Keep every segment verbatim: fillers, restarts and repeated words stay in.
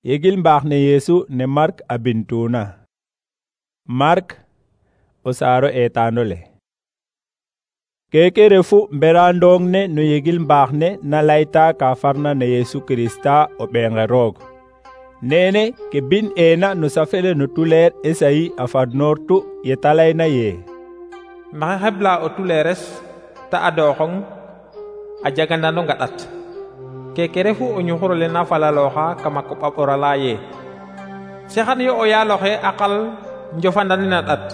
Yegil mbaax ne Yeesu ne Mark a bintuna. Mark o saaro eetaanole. Keke refu mberandong ne no yegil mbaax ne na layta ka farna ne Yeesu Krista o ɓeenge roog. Nene ke bin eena no safele no tuleer Esayi a fadnoortu ye talayna ye. Maxey xebla o tuleeres ta adooxong a jagandano ngaɗat. Keke refu o ñuxurole na falalooxa kama koɓa ɓorala ye. Sexan yo o yaaloxe a qal njofandanin a ɗat.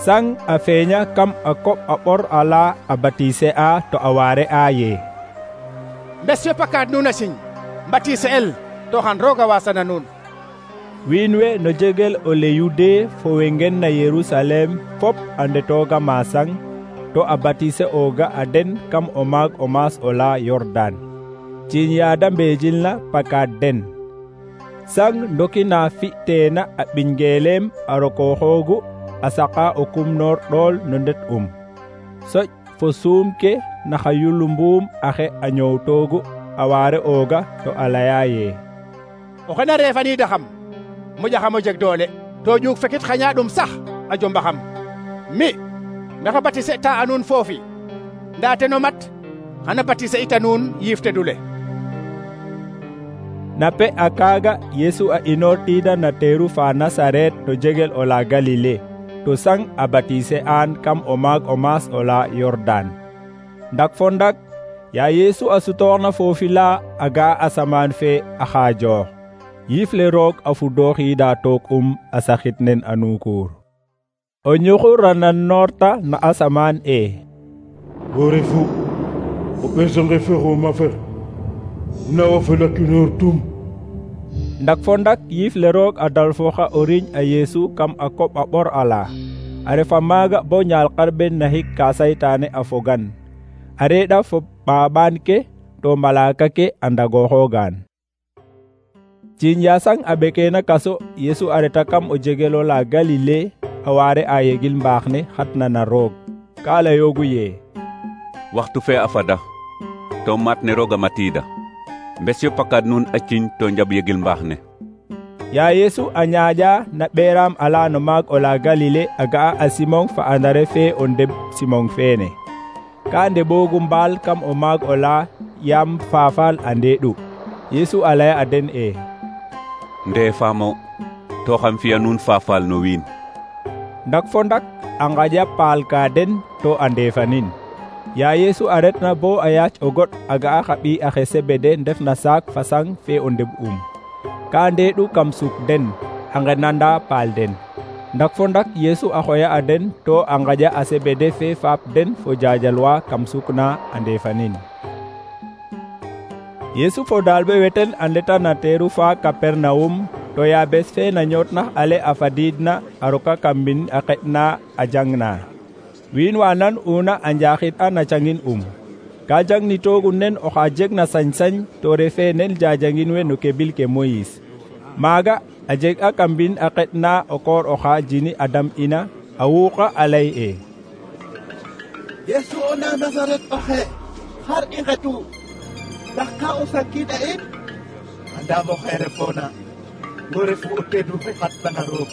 Sang a feeña kam a koɓ a ɓor ala a batise a to a waare a ye. Mbes yo pakaat nuun a siñ mbatise el to xan rooga wasana nuun. Wiin we no jegel o le Yude fo we ngen na Yerusalem fop a ndetooga maasang to a batise ooga a den kam o maag o maas o la Yordan. Ciiñ yaada mbeejilna pakaat den. Sang ndokina fi'teena a ɓingeeleem a rokooxoogu a saqa o kumnoor ɗool no ndet um. Soƴ fo suum ke na xa yulumbuum axe a ñoowtoogu a waare ooga to a laya ye. Oxe na reefaniidaxam moƴaxam o jeg doole to ƴuug fekit xañaaɗum sax a jombaxam. Mi maxey batise ta a nuun foofi ndaa ten o mat xana batise ita nuun yiif tedule. Na pe a kaaga Yeesu a inoortiida na teeru fa Nasaret to jegel o la Galile to sang a batise aan kam o maag o maas o la Yordan. Ndak fo ndak ya Yeesu a sutooxna foofi la a ga'a asamaan fe a xaajoox. Yiif le roog a fudooxiida took um a saxit nen a nuukuur. O ñuxur a nannoorta na asamaan e. Wo refu o ɓesonge fe xooma fer na wo felakinoor tum. Ndak fo ndak yiif le roog a dalfooxa o riiñ a Yeesu kam a koɓ a ɓor ala. A refa maaga bo ñaal xarɓen na xik ka saytaane a fogan. A reeɗa fo ɓaaɓaan ke to malaaka ke a ndagooxoogaan. Ciiñ yaasang a ɓekeena kaso Yeesu a reta kam o jegelo la Galile a waare a yegil mbaax ne xatna na roog. Ka layoogu ye waxtu fe a fada to maat ne roog a matiida. Mbes yo pakaat nuun a ciñ to njaɓ yegil mbaax ne. Ya Yeesu a ñaaƴa na ɓeeraam ala no maag o la Galile a ga'a a Simon fa Andare fe o ndeb Simon feene. Ka ndeɓoogu mbaal kam o maag o la yaam faafal a ndeeɗu. Yeesu a laya a den e. Ndee faamo to xam fi'a nuun faafal no wiin. Ndak fo ndak a ngaƴa paal ka den to a ndeefanin. Ya Yeesu a retna bo a yaac o goɗ a ga'a xa ɓiy axe Sebede ndef na saak fa sang fe o ndeb um. Ka ndeeɗu kam suk den a ngenanda paal den. Ndak fo ndak Yeesu a xoya a den to a ngaƴa a Sebede fe faap den fo jajalwa kam suk na a ndeefanin. Yeesu fo daalɓe weten a ndeta na teeru fa Kapernawum to ya bes fe na ñootnax ale a fadiidna a roka kam mbind a xeƴna a jangna. Wiin wa nan una a njaaxid a na cangin um. Ka jangnitoogu nen oxa jeg na sañ-sañ to refe nen jajangin we no kebil ke Moyis. Maaga a jeg a kam mbind a xeɗna o koor oxa jini a dam ina a wuuqa a lay e. Yeesu o na Nasaret oxe xar i ngetu ndax ka o sakiida in andaam oxe refoona wo refu o teedu fe xatna roog.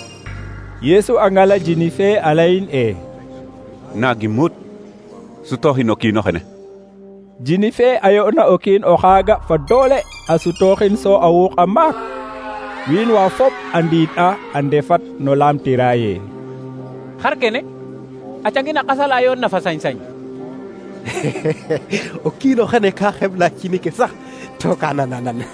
Yeesu a ngala jini fe a layin e. Naagi mut sutooxin o kiin oxene. Jini fe a yo'na o kiin o xaaga fa doole a sutooxin so a wuuqa maak. Wiin wa fop a ndiid a a ndefat no laamtira ye. Xar kene a cangin a qasala yoon na fa sañ-sañ. O kiin oxene ka xebla cini ke sax to ka nananan.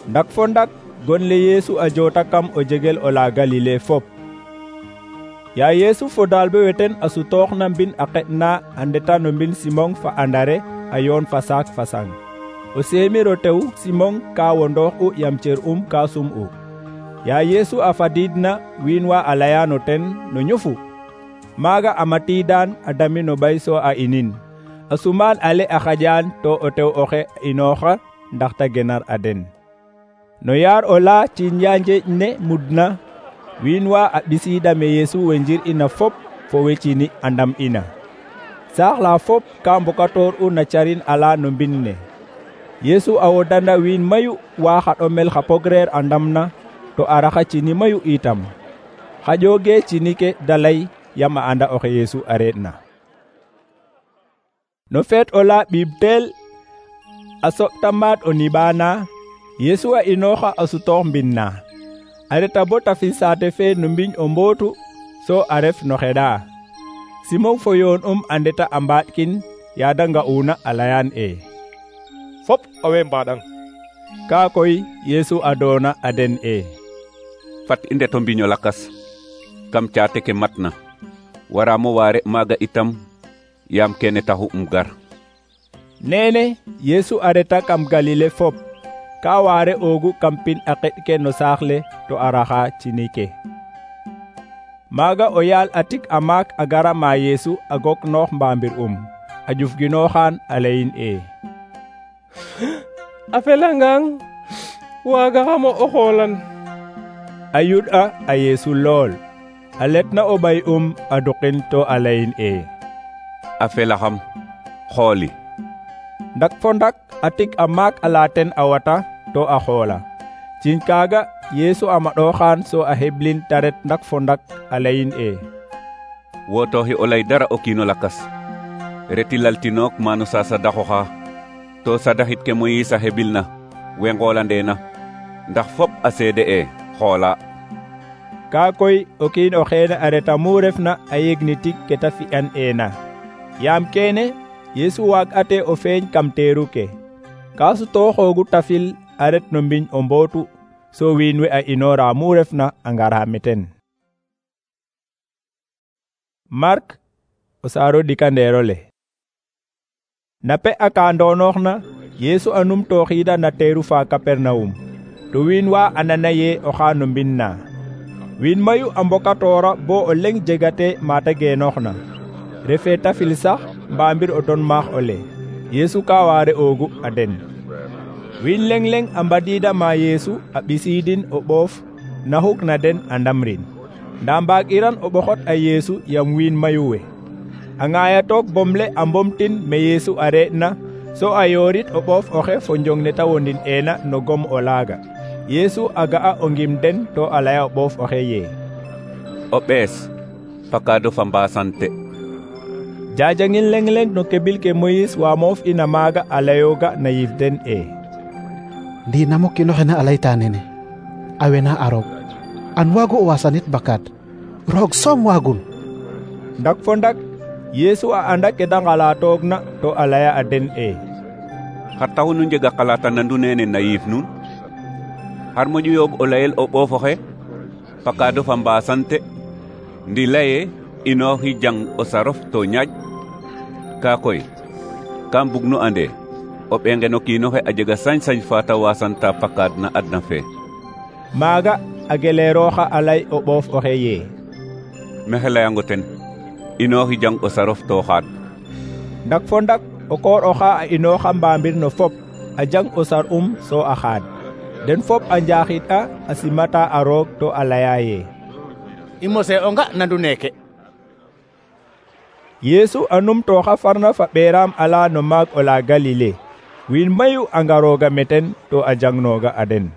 Ndak fo ndak gon le Yeesu a joota kam o jegel o la Galile fop. Ya Yeesu fo daalɓe weten a sutoox na mbin a xeɗna a ndeta no mbin Simon fa Andare a yoon fa saak fa sang. O seemiro tew Simon ka wondoox u yam cer um ka sum u. Ya Yeesu a fadiidna wiin wa a layano ten no ñofu. Maaga a matiidaan a dami no ɓay so a inin. A sumaan ale a xaƴaan to o tew oxe inooxa ndax ta genar a den. No yaar o la ciiñ ya njeeƴ ne mudna. Wiin wa a ɓisiida me Yeesu we njir ina fop fo we cini a ndam ina. Saax la fop ka mbokatoor u na carin ala no mbind ne. Yesu a wodanda wiin mayu wa xa ɗomel xa pogreer a ndamna to a raxa cini mayu itam. Xaƴooge cini ke da lay yam a anda oxe Yesu a re'na. No feet ola ɓiib teel a soɓta maat o niɓaana, Yesu a inooxa a sutoox mbin na. A reta bo tafil saate fe no mbiñ o mbootu, so a ref no xeɗa. Simon fo yoon um a ndeta a mbaaɗkin yaada nga'una a layaan e fop owey mbaɗang. Kaa koy Yesu a doona a den e fat i ndeto mbiño lakas kam caate ke matna, waraamo waare maaga itam yaam kene taxu um gar. Neene Yesu a reta kam Galile fop, ka waare oogu kam pin a qeɗ ke no saax le to a raxa cini ke. Maaga o yaal a tik a maak a gara ma Yesu a gok noox mbaambir um, a ƴufginooxaan a layin e a felangang waagaxamo o xoolan. A yuɗ'a a Yesu lool, a letna o ɓay um a duqin to a layin e a felaxam xooli. Ndak fo ndak a tik a maak a laaten a wata to a xoola. Ciñ kaaga Yesu a maɗooxaan so a heblin ta ret ndak fo ndak a layin e wootooxi o lay dara o kiino lakas, reti laltinook maano sa sadaxoxa, to sadaxit ke Moyiis a hebilna we ngoolandeena, ndax fop a seede e xoola. Kaa koy o kiin o xeene a reta mu refna a yegni tig ke ta fi'an eena. Yaam keene Yesu waag'ate o feeñ kam teeru ke. Kaa sutooxoogu tafil a ret no mbiñ o mbootu, so wiin we a inoora mu refna a ngara meten. Mark o saaro ɗikandeero le. Na pe a ka ndonooxna, Yesu a numtooxiida na teeru fa Kapernawum, to wiin wa andana ye oxa no mbind na. Wiin mayu a mbokatoora bo o leŋ jegate mata geenooxna. Refee tafil sax mbaambir o ton maax ole, Yesu ka waare oogu a den. Wiin leŋ leŋ a mbadiida ma Yesu a ɓisiidin o ɓoof na xuk na den a ndamrin. Ndaa mbaag'iran o ɓoxot a Yesu yam wiin mayu we. A ŋaayatook bomle a mbomtin me Yesu a re'na, so a yoorit o ɓoof oxe fo njong ne ta wondin eena no gom o laaga. Yesu a ga'a o ngim den to a laya o ɓoof oxe ye o ɓees pakaado fa mbaasante. Jaajangin leŋ leŋ no kebil ke Moyiis wa moof ina maaga a layooga na yif den e ndi namo kiino xe na a layta nene a wena a roog, an waagu o waasanit bakaad, roog soom waagun. Ndak fo ndak Yesu a anda ke da ngalaatoogna to a laya a den e xar taxu nu njega xalaata nandu nene na yiif nuun? xar moƴu yooɓ o layel o ɓoof oxe pakaado fa mbaasante, ndi laye inooxi jang o sarof to ñaaƴ? Kaa koy kam bug nu ande o ɓenge no kiinoxe a jega sañ-sañ fa ta wasanta pakaad na adna fe. Maaga a geleerooxa a lay o ɓoof oxe ye mexe layango ten inooxi jang o sarof to xaad. Ndak fo ndak o koor oxa a inooxa mbaambir no fop a jang o sar um so a xaad. Den fop a njaaxid a a simata a roog to a laya ye I mose o nga nandu neeke. Yesu a numtooxa farna fa ɓeeraam ala no maag ola Galile. Wiin mayu a ngarooga meten to a jangnooga a den.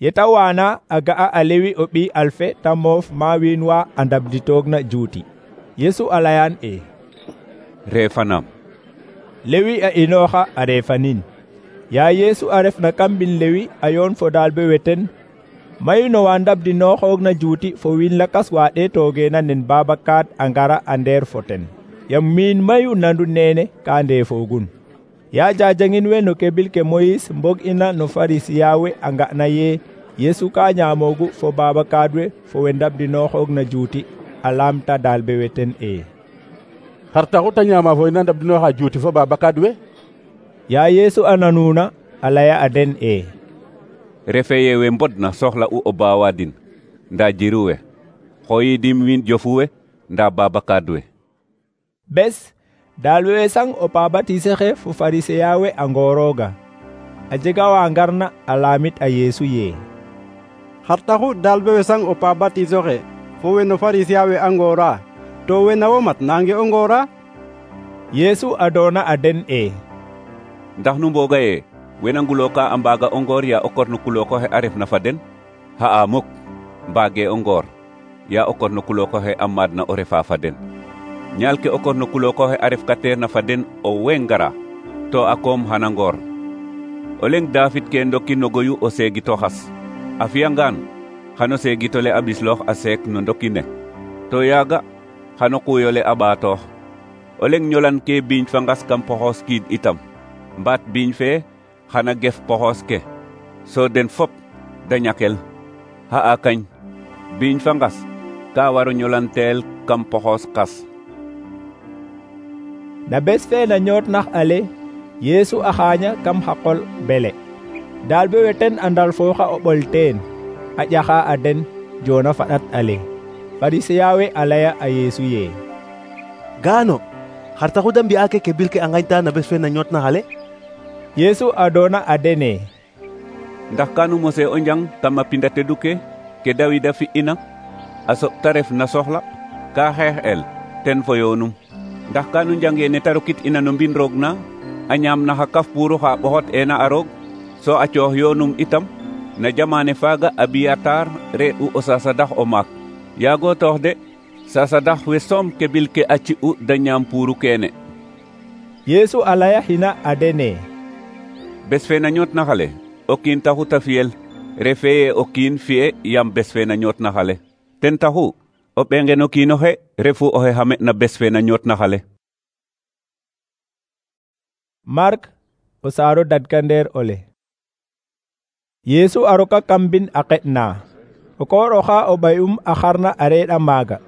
Yeta waana a ga'a a Lewi o ɓiy Alfe ta moof ma wiin wa a ndabditoogna juuti. Yesu a layaan e reefanam. Lewi a inooxa a reefanin. Yaa Yesu a refna kam mbin Lewi a yoon fo daalbe weten, mayu no wa ndabdinooxoogna juuti fo wiin lakas wa ɗeetoogeena nen Babakaad a ngara a ndeer fo ten, yam miin mayu nandu neene ka ndeefoogun. Yaa jaajangin we no kebil ke Moyiis mbog ina no Farisiya we a nga'na ye Yesu ka ñaamoogu fo Babakaad we fo we ndabdinooxoogna juuti a laamta daalbe weten e xar taxu ta ñaama fo ina ndabdinooxa juuti fo Babakaad we? Yaa Yesu a nanuuna a laya a den e refe ye we mbodna soxla u o baawaadin ndaa jiru we, xooyidim wiin jofu we ndaa Babakaad we. Bes daalbe we sang o pabatise xe fo Farisiya we a ngoorooga. A jega wa ngarna a laamit a Yesu ye xar taxu daalbe we sang o pabatise xe fo we no Farisiya we a ngoora, to we na wo mat nange o ngoora? Yesu a doona a den e ndax nu mbooga ye wena nguloka a mbaga o ngoor ya o korno kuloko xe a refna fa den xa'a muk mbaage o ngoor ya o korno kuloko xe a maadna o refa fa den ñaal ke o korno kuloko xe a ref kateerna fa den o weng ngara to a koom xana ngoor o leng David ke ndoki no goyu o seegito xas a fiyangaan xano seegitole a ɓisloox a seek no ndoki ne to yaaga xano quuyole a ɓaatoox o leng ñolan ke biiñ fa ngas kam poxoos kiid itam mbaat biiñ fee xana gef poxoos ke so den fop da ñakel xa'a kañ biiñ fa ngas ka waro ñolanteel kam poxoos qas. Na bes fe na ñoot nax ale Yesu a xaaña kam xa qol bele daal be weten andal fooxa o ɓol teen a ƴaxa a den joona faɗat ale Farisiya we a laya a Yesu ye gaano xar taxu da mbi'a ke bil ke a ngañta na bes fe na ñoot nax ale. Yesu a doona a dene ndax kanu mose o njang tama pinda tedu ke ke Dawida fi'ina a soɓ ta ref na soxla ka xeex el ten fo yoonum ndax kanu njange ne ta rokit ina no mbin roog na a ñaam na xa kaf puuru xa ɓoxot ena a roog so a coox yoonum itam na jamane faaga Abiyatar re'u o sasadax o maak yaago toox de sasadax we soom ke bil ke a ci'u da ñaam puuru keene. Yesu a laya xina a dene bes fe na ñoot na xale o kiin taxu ta fiyel refe ye o kiin fi'e yam bes fe na ñoot na xale ten taxu o ɓengen o kiin oxe refu oxe xame na bes fe na ñoot na xale. Mark o saaro dadkandeer ole Yesu a roka kam mbin a qe'na o koor oxa o ɓay'um a xarna a reeɗa maaga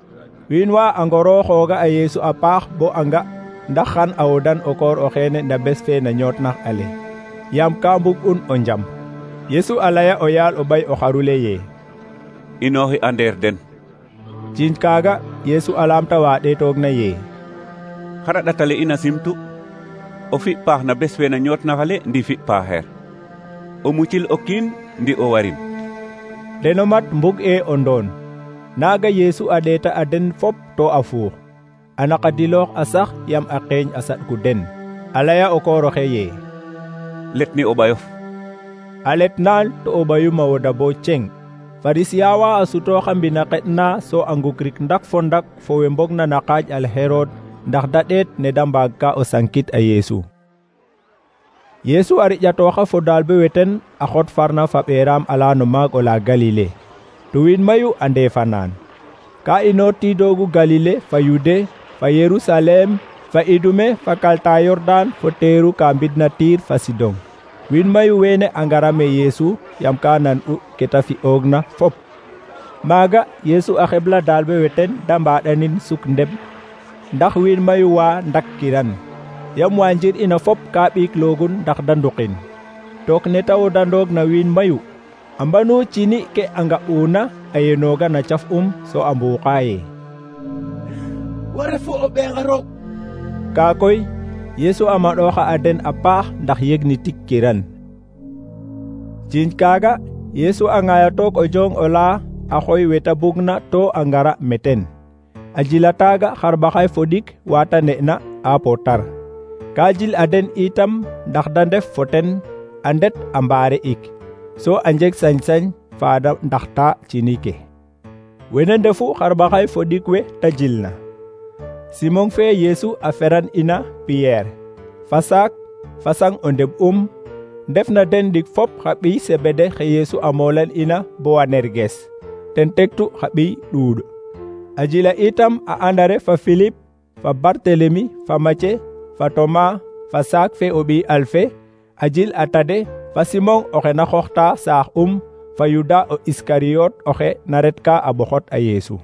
wiin wa a ngorooxooga a Yesu a paax bo a nga ndax xan a wodan o koor oxeene na bes fe na ñoot nax ale yaam ka mbug'un o njam. Yesu a laya o yaal o ɓay o xarule ye inooxi a ndeer den. ciiñ kaaga Yesu a laamta wa ɗeetoogna ye xara ɗatale ina simtu o fi paax na bes fe na ñoot na xale ndi fi paaxeer o mucil o kiin ndi o warin. deno mat mbug e o ndoon naaga Yesu a ɗeeta a den fop to a fuux a naqadiloox a sax yam a qeeñ a saɗku den a laya o koor oxe ye let ni o ɓayof. a let naan to o ɓayuma woda bo ceng. Farisiya wa a sutooxa mbina qeɗna so a ngukrik ndak fo ndak fo we mbogna na qaaj al Herod ndax da ɗeet ne da mbaag ka o sankit a Yesu. Yesu a riƴatooxa fo daalbe weten a xot farna fa ɓeeraam ala no maag ola Galile to wiin mayu a ndeefanaan ka inoor tiidoogu Galile fa Yude fa Yerusalem fa Idume fa kalta Yordan fo teeru ka mbidna Tiir fa Sidon. wiin mayu weene a ngara me Yesu yam ka nan'u ke ta fi'oogna fop maaga Yesu a xebla daalbe weten da mbaaɗanin suk ndem ndax wiin mayu wa ndakkiran yam wa njir ina fop ka ɓiikloogun ndax da nduqin took ne ta wodandoog na wiin mayu a mbanu cini ke a nga'uuna a yenooga na caf um so a mbuuqa ye wo refu o ɓeexa roog. kaa koy Yesu a maɗooxa a den a paax ndax yegni tikkiran. ciiñ kaaga Yesu a ŋaayatoog o jong ola a xoy weta bugna to a ngara meten a jila taaga xarɓaxay fo ɗik wata ne'na a potar ka jil a den itam ndax da ndef fo ten a ndet a mbaare ik so a njeg sañ-sañ faada ndaxta cini ke wene ndefu xarɓaxay fo ɗik we ta jilna. Simon fe Yesu a feran ina Piyeer fa saak fa sang o ndeɓ um ndef na den ndik fop xa ɓiy Sebede xe Yesu a moolan ina bo Wanerges ten tektu xa ɓiy ɗuuɗ a jila itam a Andare fa Filip fa Bartelemi fa Mace fa Toma fa saak fe o ɓiy Alfe a jil a Tade fa Simon oxe na xooxta saax um fa Yuda o Iskariyot oxe na retka a ɓoxot a Yesu.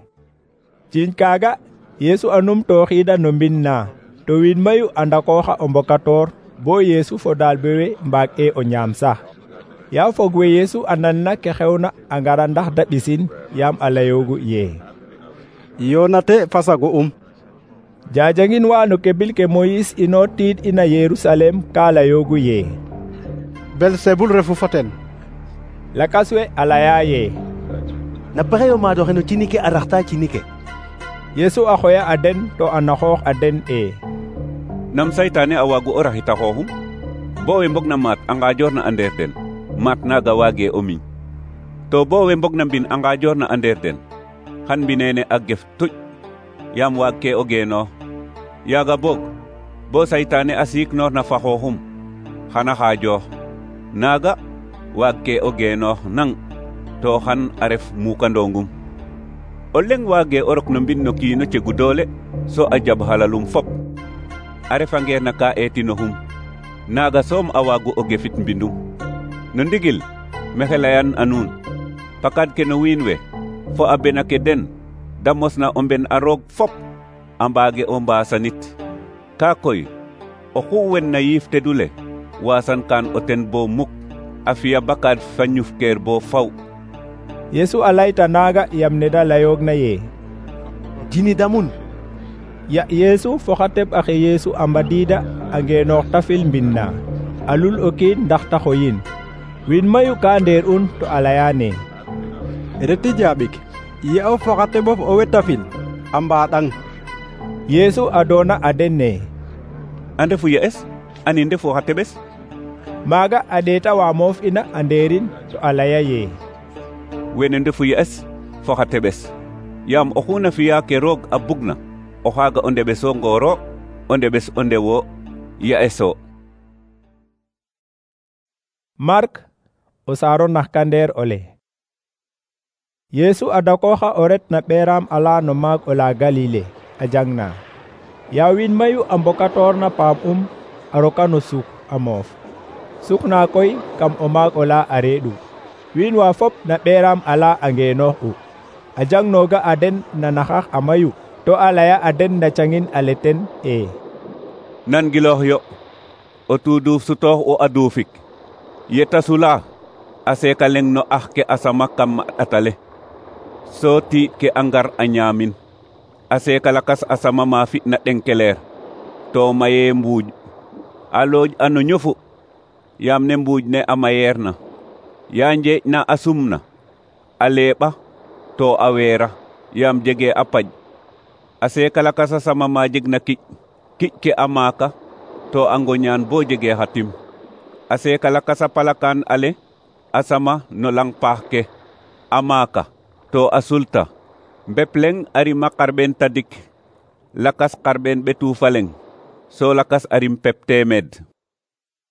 ciiñ kaaga Yesu a numtooxiida no mbin na to wiin mayu a ndakooxa o mbokatoor bo Yesu fo daalbe we mbaag e o ñaam sax yaa fog we Yesu a nanna ke xewna a ngara ndax da ɓisin yaam a layoogu ye yoonate fasago um jajangin wa no kebil ke Moyis inoor tiid ina Yerusalem ka layoogu ye Belzebul refu fo ten. lakas we a laya ye na pexe yo maad oxe no cini ke a raxta cini ke. Yesu a xoya a den to a naxoox a den e nam saytaane a waagu o raxita xooxum bo we mbogna maat a ngajoor na a ndeer den maat naaga waage o miñ to bo we mbogna mbin a ngajoor na a ndeer den xan mbinene a gef tuƴ yaam waag ke o geenoox yaaga boog bo saytaane a siiknoor na fa xooxum xana xaajoox naaga waag ke o geenoox nang to xan a ref muukandongum o leŋ waage o rok no mbin no kiino cegu doole so a jab halalum fop a refangeer na ka eetinoxum naaga soom a waagu o gefit mbindum no ndigil mexe layan a nuun pakad ke no wiin we fo a bena ke den da mosna o mben a roog fop a mbaage o mbaasanit kaa koy oxu wen na yiif tedule waasan kaan o ten bo muk a fiya bakad fa ñufkeer bo faw. Yesu a layta naaga yam ne da layoogna yee dini damun ya Yesu foxa teɓ axe Yesu a mbadiida a ngeenoox ta fil mbin na a lul o kiin ndax ta xoyin wiin mayu ka ndeer un to a layaane reti jaaɓik ye o foxa teɓof o weta fil a mbaaɗang. Yesu a doona a den ne a ndefu ye'es ani ndefu xa teɓes maaga a ɗeeta wa moof ina a ndeerin to a laya yee wene ndefu ye'es fo xa teɓes yaam oxu na fiya ke roog a bugna o xaaga o ndeɓeso ngooro o ndeɓes o ndewo ye'eso. Mark o saaro naxkandeer ole. Yesu a dakooxa o ret na ɓeeraam ala no maag ola Galile a jangna yaa wiin mayu a mbokatoor na paam um a roka no suk a moof suk na koy kam o maag ola a reeɗu wiin wa fop na ɓeeraam ala a ngeenoox u a jangnooga a den na naxax a mayu to a laya a den na cangin a leten e nan giloox yo o tuuduuf sutoox o a duufik yeta sula a seeka leŋ no ax ke a sama kam a ɗatale soo tiiɗ ke a ngar a ñaamin a seeka lakas a sama ma fi'na ɗenkeleer to mayee mbuuj a looj a no ñofu yaam ne mbuuj ne a mayeer na yaa njeeƴ na a sumna a leeɓa to a weera yaam jegee a paƴ a seeka lakas a sama ma jeg na kiƴ kiƴ ke a maaka to a ngoñaan bo jegee xa tim a seeka lakas a palakaan ale a sama no lang paax ke a maaka to a sulta mbep leŋ a rima xarɓeen tadik lakas xarɓeen ɓetu fa leŋ so lakas a rim pep teemeed.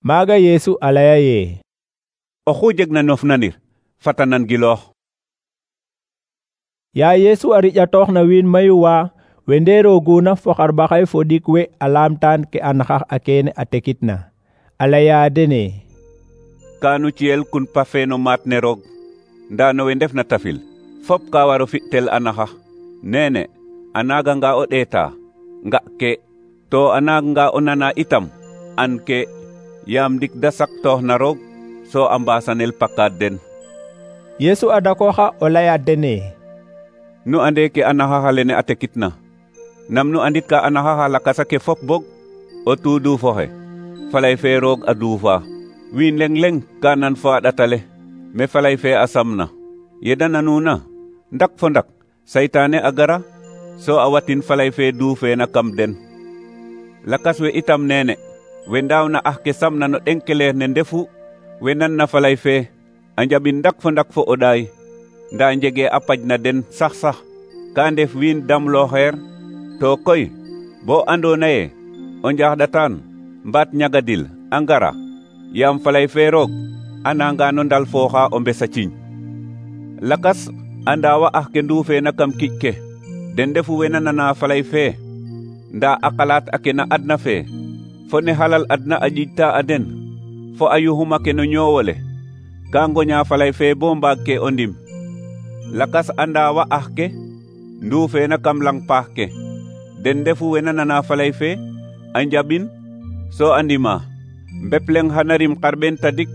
Maaga Yesu a laya yee oxu jeg na nof nanir fata nan giloox. yaa Yesu a riƴatoox na wiin mayu wa we ndeerooguna fo xarɓaxay fo ɗik we a laamtaan ke a naxax a keene a tekitna a laya dene kaanu ciyel kun pafe no maat ne roog ndaa no we ndef na tafil fop ka waro fi'tel a naxax neene a naaganga o ɗeeta nga ke to a naaganga o nana itam an ke yaam ndik da saktoox na roog so a mbaasanel pakaad den. Yesu a dakooxa o laya dene nu ande ke a naxax alene a tekitna nam nu andit ka a naxax a lakasa ke fop bog o tuuduufoxe falay fe roog a duufa wiin leŋ leŋ ka nan fo a ɗatale me falay fe a samna yeda nanuna ndak fo ndak saytaane a gara so a watin falay fe duufeena kam den lakas we itam neene we ndaawna ax ke samna no ɗenkeleer ne ndefu we nan na falay fe a njaɓin ndak fo ndak fo o ɗaay ndaa njegee a paj na den sax sax ka ndef wiin damlooxeer to koy bo andoona ye o njaaxɗataan mbaat ñagadil a ngara yaam falay fe roog a nanga no ndal fooxa o mbes a ciiñ lakas a ndaawa ax ke nduufeena kam kiƴ ke den ndefu we na nana falay fe ndaa a xalaat a ke na adna fe fo ne halal adna a ƴiƴta a den fo a yuxuma ke no ñoowole ka ngoña falay fe bo mbaag ke o ndim lakas a ndaawa ax ke nduufeena kam lang paax ke den ndefu we na nana falay fe a njaɓin so a ndima mbep leŋ xana rim xarɓeen tadik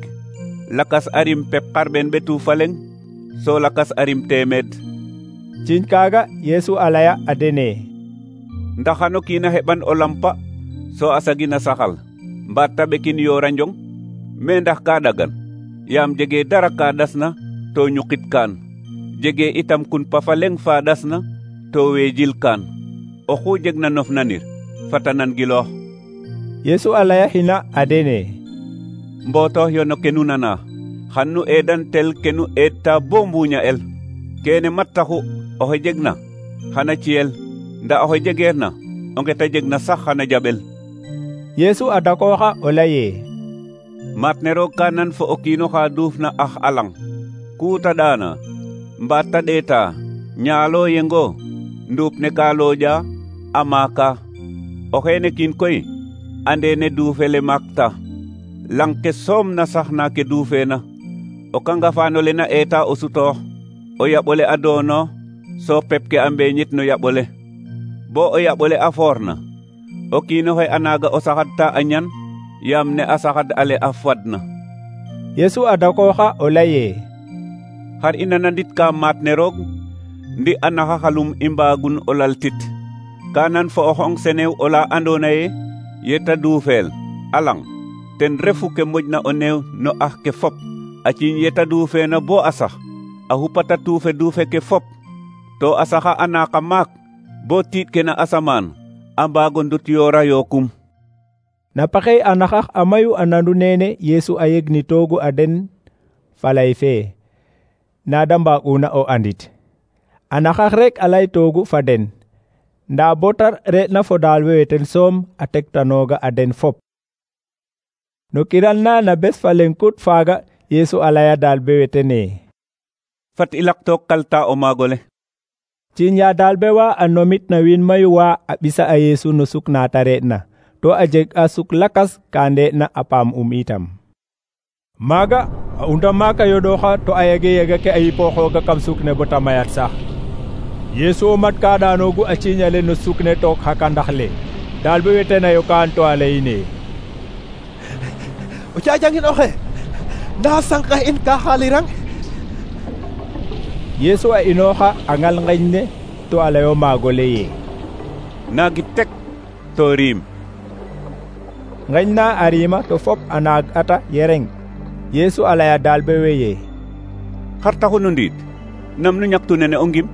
lakas a rim pep xarɓeen ɓetu fa leŋ so lakas a rim teemeed. ciiñ kaaga Yesu a laya a dene ndax xano kiin a heɓan o lampa so a sagin a saxal mbaat ta ɓekin yoora njong me ndax ka ɗagan yaam jegee dara ka ɗasna to ñuqit kaan jegee itam kun pa fa leŋ fa ɗasna to weejil kaan oxu jeg na nof nanir fata nan giloox. Yesu a laya xina a dene mbotoox yo no ke nu nana xan nu eedantel ke nu eedta bo mbuuña el kene mat taxu oxe jegna xana ciyel nda oxe jegeerna o nget a jegna sax xana jaɓel. Yeesu a dakooxa o laye: maat ne roog ka nan fo o kiino xa duufna ax alang ku ta ɗaana mbaat ta ɗeeta ñaalo yengo nduup ne ka looƴa a maaka. o xeene kiin koy ande ne duufele maakta lang ke soom na sax na ke duufeena. o kangafaano le na eeta o sutoox o yaɓole a doono so pep ke a mbeeñit no yaɓole bo o yaɓole a foorna o kiinoxe a naaga o saxadta a ñan yaam ne a saxad ale a fadna. Yeesu a dakooxa o laye: xar i nanandit ka maat ne roog ndi a naxaxalum i mbaagun o laltit ka nan fo o xong senew ola andoona ye yeta duufeel alang ten refu ke moƴna o neew no ax ke fop a ciiñ yeta duufeena bo a sax a xupata tuufe duufe ke fop to a saxa a naaka maak bo tiiɗ ke na asamaan a mbaago ndut yoora yookum. Na paxey a naxax a mayu a nandu nene Yeesu a yegnitoogu a den falay fe nada mbaaguna o andit. a naxax rek a laytoogu fa den nda bota re'na fo daalbe weten soom a tektanooga a den fop. No kiral na na bes fa leŋkut faaga Yeesu a laya daalbe wetene: fat i laktook kalta o maagole. Ciiñ ya daalbe wa a nomit na wiin mayu wa a ɓisa a Yeesu no suk na ta re'na to a jeg a suk lakas ka nde'na a paam um itam. Maaga a unda maaka yoɗooxa to a yege yega ke a yipooxooga kam suk ne bota mayat sax. Yeesu o mat ka ɗaanoogu a ciiñale no suk ne took xa kandax le daalbe wetena yo kaan to a layine: o cajangin oxe nda sànqa in ka xaalirang. Yeesu a inooxa a ngal ngeñ ne to a layo maagole ye: naagi tek to riim. Ngeñ na a riima to fop a naag ata yereng. Yeesu a laya daalbe we ye: xar taxu nu ndiid nam nu ñaktu nene o ngim.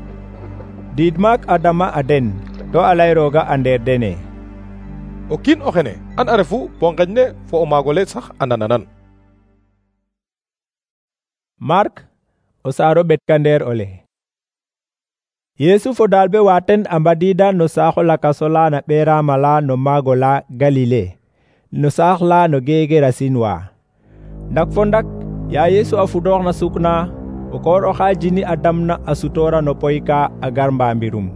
Diid maak a dama a den to a lay rooga a ndeer dene: o kiin o xene an a refu bo ngeñ ne fo o maagole sax a nananan. Mark o saaro ɓetka ndeer ole. Yeesu fo daalbe wa ten a mbadiida no saaxo lakaso la na ɓeeraama la no maago la Galile no saax la no Gegerasin wa. Ndak fo ndak ya Yeesu a fudoox na suk na o koor oxa jini a damna a sutoora no poy ka a gar mbaambirum.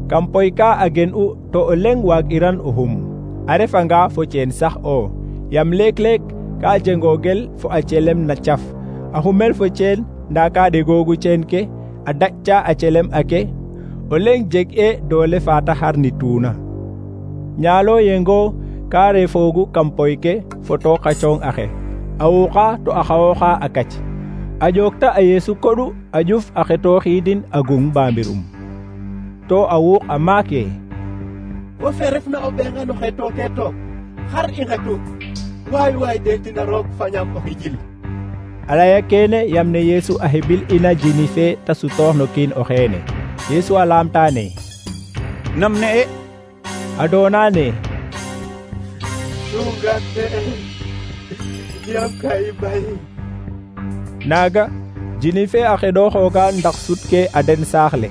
Kam poy ka a gen'u to o leŋ waag'iran o xum a refanga fo ceen sax o yam leek-leek ka jengoogel fo a celem na caf a xumel fo ceen nda ka ɗegoogu ceen ke a daƴca a celem ake o leŋ jeg e doole fa ta xarnituuna. Ñaalo yengo ka refoogu kam poy ke fo took xa cooŋ axe a wuuxa to a xawooxa a kac a ƴookta a Yeesu koɗu a ƴuf a xetooxiidin a gung mbaambirum to a wuux a maake: wo fe refna o ɓeenga no xetooke took xar i ngetu waay waay deetina roog fañaam o xijil. a laya kene yam ne Yeesu a hebil ina jini fe ta sutoox no kiin o xeene. Yeesu a laamtaane: nam ne e? a doonaane: sugante yam ka i bay. Naaga jini fe a xeɗooxooga ndax sut ke a den saax le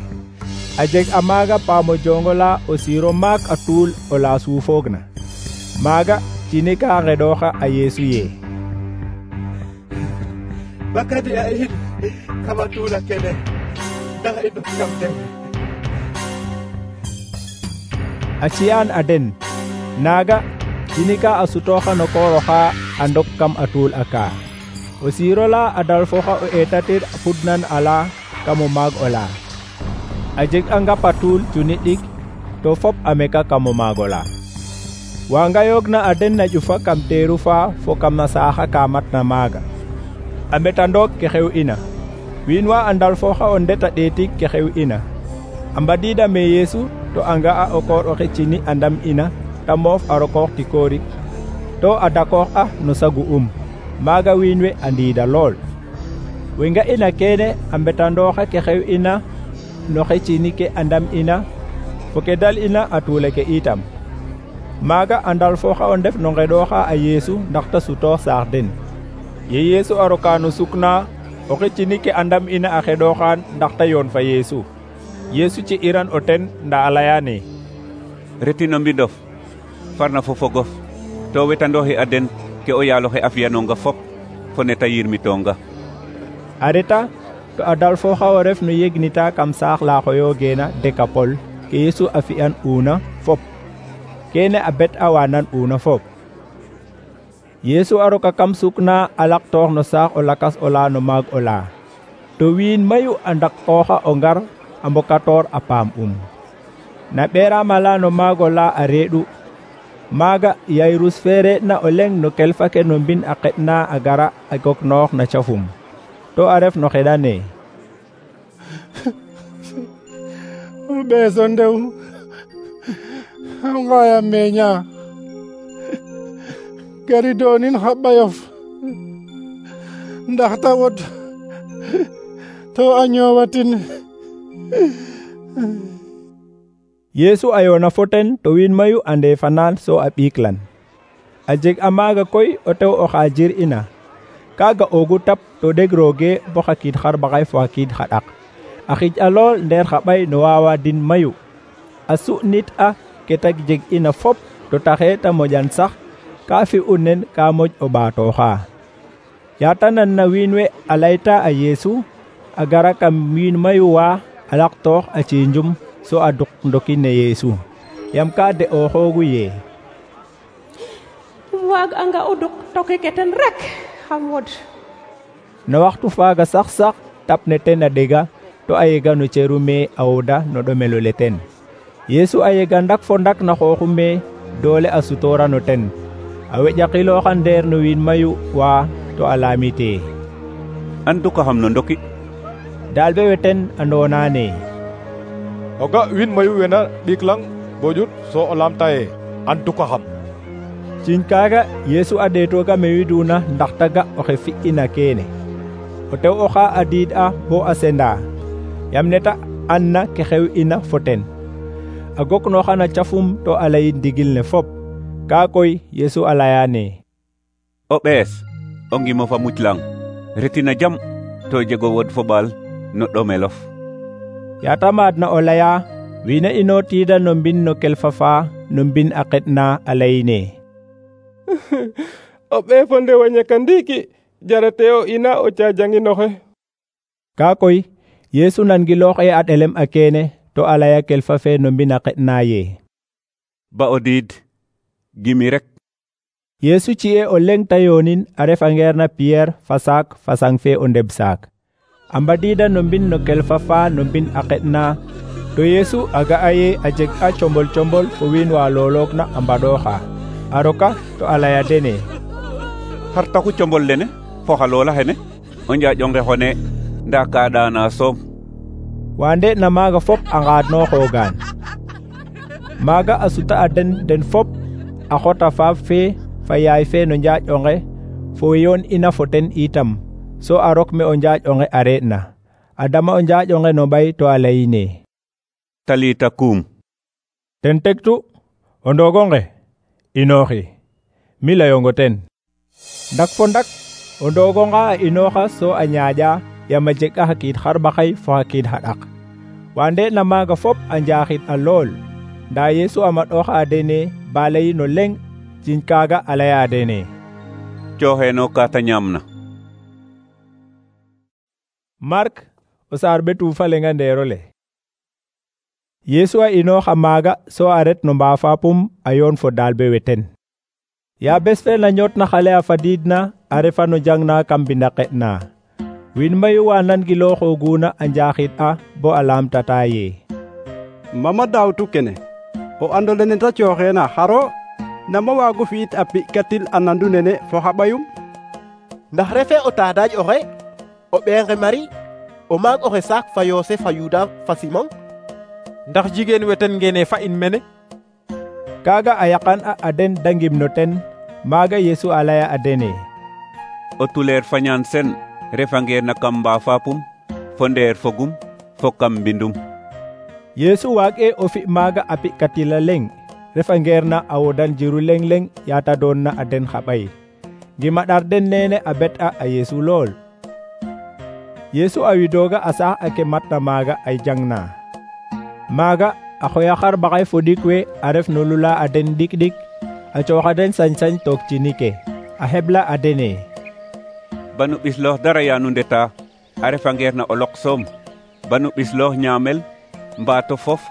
a jeg a maaga paamo jongo la o siiro maak a tuul o la suufoogna. Maaga jini ka xeɗooxa a Yeesu ye: bakadi a in kama tuula kene ndax i ndok kam den. A ciyaan a den naaga jini ka a sutooxa no koor oxa a ndok kam a tuul a kaa. O siiro la a dalfoxa o eetatir a fudnan ala kam o maag ola. A jeg a ngap a tuul cuni ɗik to fop a meka kam o maag ola. Wanga yoogna a den na ƴufa kam teeru fa fo kam na saaxa ka matna maaga a mbetandoog ke xew ina. Wiin wa a ndalfoxa o ndet a ɗeetik ke xew ina a mbadiida me Yeesu to a nga'a o koor oxe cini a ndam ina ta moof a rokoox tikoorik to a dakoox a no sagu um. Maaga wiin we a ndiida lool. We nga ina kene a mbetandooxa ke xew ina no xe cini ke a ndam ina fo ke dal ina a tuule ke itam. maaga a ndalfooxa o ndef no ngeɗooxa a Yeesu ndax ta sutoox saax den. Ye Yeesu a roka no sukna oxe cini ke a ndam ina a xeɗooxaan ndax ta yoon fa Yeesu. Yeesu ci iran o ten nda a leyaane: reti no mbindof farna fo fogof to wetandooxi a den ke o yaaloxe a fi'anonga fop fo neta yirmitonga. A reta to a dalfooxa o ref no yegnita kam saax la xoyoogeena Dekapol ke Yeesu a fi'an uuna fop. Kene a bet a waanan uuna fop. Yeesu a roka kam sukna a laqtoox no saax o lakas ola no maag ola. To wiin mayu a ndaqooxa o ngar a mbokatoor a paam um. Na ɓeeraam ala no maag ola a reeɗu. Maaga Yayrus fe reɗna o leŋ no kelfa ke no mbin a qeɗna a gara a goknoox na cafum. To a ref no xeɗane: o ɓeeso ndew a ngaya meña gari doonin xa ɓayof ndax ta wod to a ñoowatin. Yeesu a yoona fo ten to wiin mayu ande fanaan so a ɓiiklan. A jeg a maaga koy o tew oxa jir ina. Kaaga oogu tap to ɗeg rooge bo xa kiid xarɓaxay fo xa kiid xa ɗak. A xij a lool ndeer xa ɓay no waawa din mayu. A su'nit a ke ta jeg ina fop to taxe ta moƴan sax ka fi'u nen ka moƴ o ɓaatooxa. Yaata nanna wiin we a layta a Yeesu a gara kam wiin mayu wa a laqtoox a ciinjum so a duk ndoki ne Yeesu yam ka de'ooxoogu yee: waag anga o duk toki ke ten rek xam wod. No waxtu faaga sax sax tap ne ten a ɗega to a yega no ceru me a woda no ɗomelo le ten. Yeesu a yega ndak fo ndak na xooxu me doole a sutoora no ten. A weƴakilooxa ndeer no wiin mayu wa to a laamitee: andukaxam no ndoki. Daalbe we ten a ndoonaane: o ga wiin mayu wena ɗiiklang bojut so o laamta ye andukaxam. Ciñ kaaga Yeesu a ɗeetooga me widuna ndax ta ga oxe fi'ina keene. O tew oxa a diid a bo a senda yam neta anna ke xew ina fo ten. A goknooxa na cafum to a layin ndigil ne fop. Kaa koy Yeesu a layaane: o ɓees o ngimo fa muclang retina jam to jego wod fo ɓaal no ɗomelof. Yaata maadna o laya wiina inootiida no mbin no kelfa fa no mbin a qeɗna a layine: o ɓee fo ndew a ñaka ndiiki jarate o ina o caajanginoxe. Kaa koy Yeesu nangiloox e a ɗelem a keene to a laya kelfa fe no mbin a qeɗna ye: ba o diid gimi rek. Yeesu ci'e o leŋ ta yoonin a refangeer na Piyeer fa saak fa sang fe o ndeb saak. A mbadiida no mbin no kelfa fa no mbin a qeɗna to Yeesu a ga'a ye a jeg a combol combol fo wiin wa looloogna a mbaɗooxa. A roka to a laya dene: xar taxu combol lene fo xa loola xene o njaaƴonge xone ndaa ka ɗaana soom. Waande na maaga fop a ngaadnooxoogaan. Maaga a suta a den den fop a xota faaf fe fa yaay fe no njaaƴonge fo we yoon ina fo ten itam so a rok me o njaaƴonge a re'na. A dama o njaaƴonge no ɓay to a layine: talita kum. Ten tegtu o ndoogonge inooxi. Mi layongo ten. Ndak fo ndak o ndoogonga a inooxa so a ñaaƴa yam a jeg a xa kiid xarɓaxay fo xa kiid xa ɗak. Waande na maaga fop a njaaxid a lool. Ndaa Yeesu a maɗooxa a dene ba layi no leŋ. Ciñ kaaga a laya dene: cooxeeno ka ta ñaamna. Mark o saar ɓetu fa leŋa ndeero le. Yeesu a inooxa maaga so a ret no mbaafapum a yoon fo daalbe we ten. Ya bes fe na ñootna xale a fadiidna a refa no jangna kam mbinda qeɗna. Wiin mayu wa nangilooxooguna a njaaxid a bo a laamtata ye: mama daawtu kene o ando lene ta cooxeena xaro nama waagu fi'it a pi'katil a nandu nene fo xa ɓayum? ndax refe o taadaaj oxe o ɓeenxe Mari o maag oxe saak fa Yoosef fa Yuda fa Simon? ndax jigéen we ten ngene fa in mene? Kaaga a yaqan a a den da ngim no ten. Maaga Yeesu a laya a dene: o tuleer fañaan sen refangeer na kam mbaafapum fo ndeer fogum fo kam mbindum. Yeesu waag'e o fi' maaga a pi'katil a leŋ refa ngeer na a wodan jiru leng leng yata doon na a den xa ɓay ngima ɗar den nene a bet a a Yeesu lool. Yeesu a widooga a saax ake matna maaga ay jang na maaga a xoya xarɓaxay fo ɗik we a ref no lula a den ɗik ɗik a cooxa den sañ-sañ toog cini ke a xebla a dene banu ɓisloox dara yaanu ndeta a refa ngeer na o lok soom banu ɓisloox ñaamel mbaato fof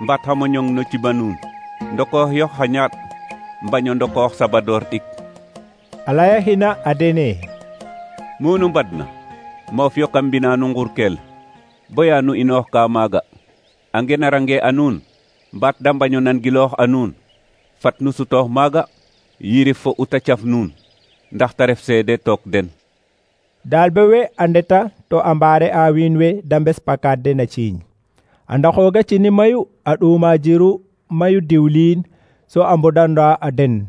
mbaat xa moñong no ciba nuun ndokoox yox xa ñaaɗ mbaño ndokoox sabadoor ɗik. a laya xina a dene munu mbadna moof yo kam mbina nu nqurkel boya nu inoox ka maaga a ngenarange a nuun mbaat da mbaño nangiloox a nuun fat nu sutoox maaga yirif fo uta caf nuun ndax ta ref seede took den. daalbe we a ndeta to a mbaare a wiin we da mbes pakaat den a ciiñ a ndaxooga cini mayu a ɗuuma jiru mayu diwliin so a mbodanda a den.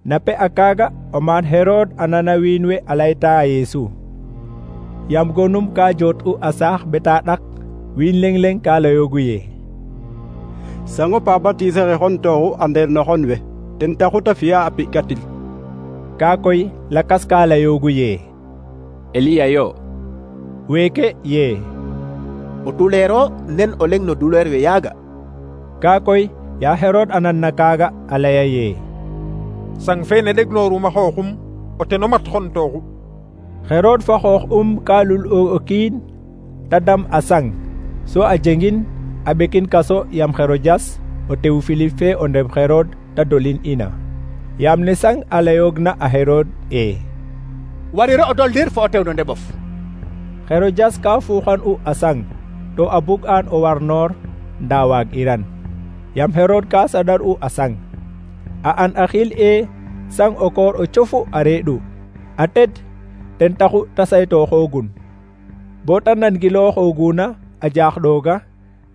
na pe a kaaga o maan Herod a nana wiin we a layta a Yeesu yam gonum ka joot u a saax beta ɗak wiin leng leng ka layoogu ye sango pa batise xe xon tooxu a ndeer no xon we ten taxu ta fi'a a pi'katil. kaa koy lakas ka layoogu ye Eliya yo weeke ye o tuleero nen o leng no duleer we yaaga. kaa koy ya Herod a nan na kaaga a laya ye sang fe ne ɗegnooruma xooxum o ten o mat xon tooxu. Herod fa xoox um ka lul o kiin ta dam a sang so a jengin a ɓekin kaso yam Herodias o tew Filip fe o ndem Herod ta dolin ina yam ne sang a layoogna a Herod e wariro o doldir fo o tew no ndeɓof. Herodias ka fuuxan u a sang to a bug an o war noor nda waag iran yam Herod ka saɗar u a sang a an a xiil e sang o koor o cofu a reeɗu a ted ten taxu ta saytooxoogun bo ta nangilooxooguna a jaaxɗooga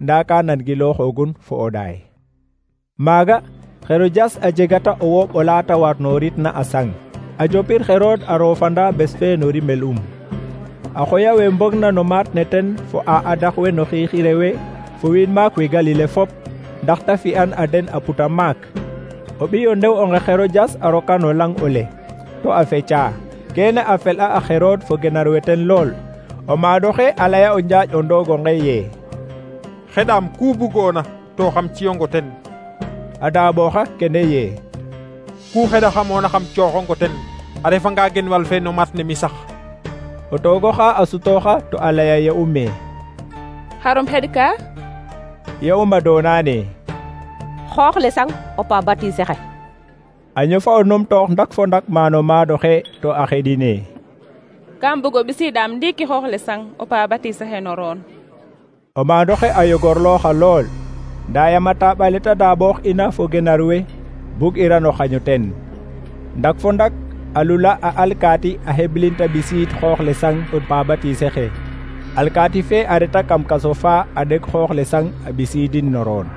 nda ka nangilooxoogun fo o ɗaay. maaga Herodias a jegata o wooɓ o laata warnooritna a sang a jopir Herod a roofanda bes fe no rimel um a xoya we mbogna no maat ne ten fo a adax we no xiixire we fo wiin maak we Galile fop ndax ta fi'an a den a puta maak. o ɓiyo ndew onge Herodias a roka no lang ole to a feca kene a fel'a a Herod fo genar we ten lool o maadoxe a laya o njaaƴ o ndoogonge ye xeɗaam ku bugoona to xam ciyongo ten. a daaɓooxa kene ye ku xeɗaxamoona xam cooxongo ten a refanga genwal fe no mat ne mi sax. o toogoxa a sutooxa to a laya ye ume xarom xeɗ ka ye uma doonaane xoox le sang o pa batise xe a ñofa o numtoox ndak fo ndak maano maadoxe to a xeɗine kam bugo ɓisiidaam ndiiki xoox le sang o pa batise xe no roon. o maadoxe a yogorlooxa lool nda yama taaɓale ta daaɓoox ina fo genar we bug irano xaño ten ndak fo ndak a lula a alkaati a xeblin ta ɓisiid xoox le sang o pa batise xe alkaati fe a reta kam kaso fa a ɗeg xoox le sang a ɓisiidin no roon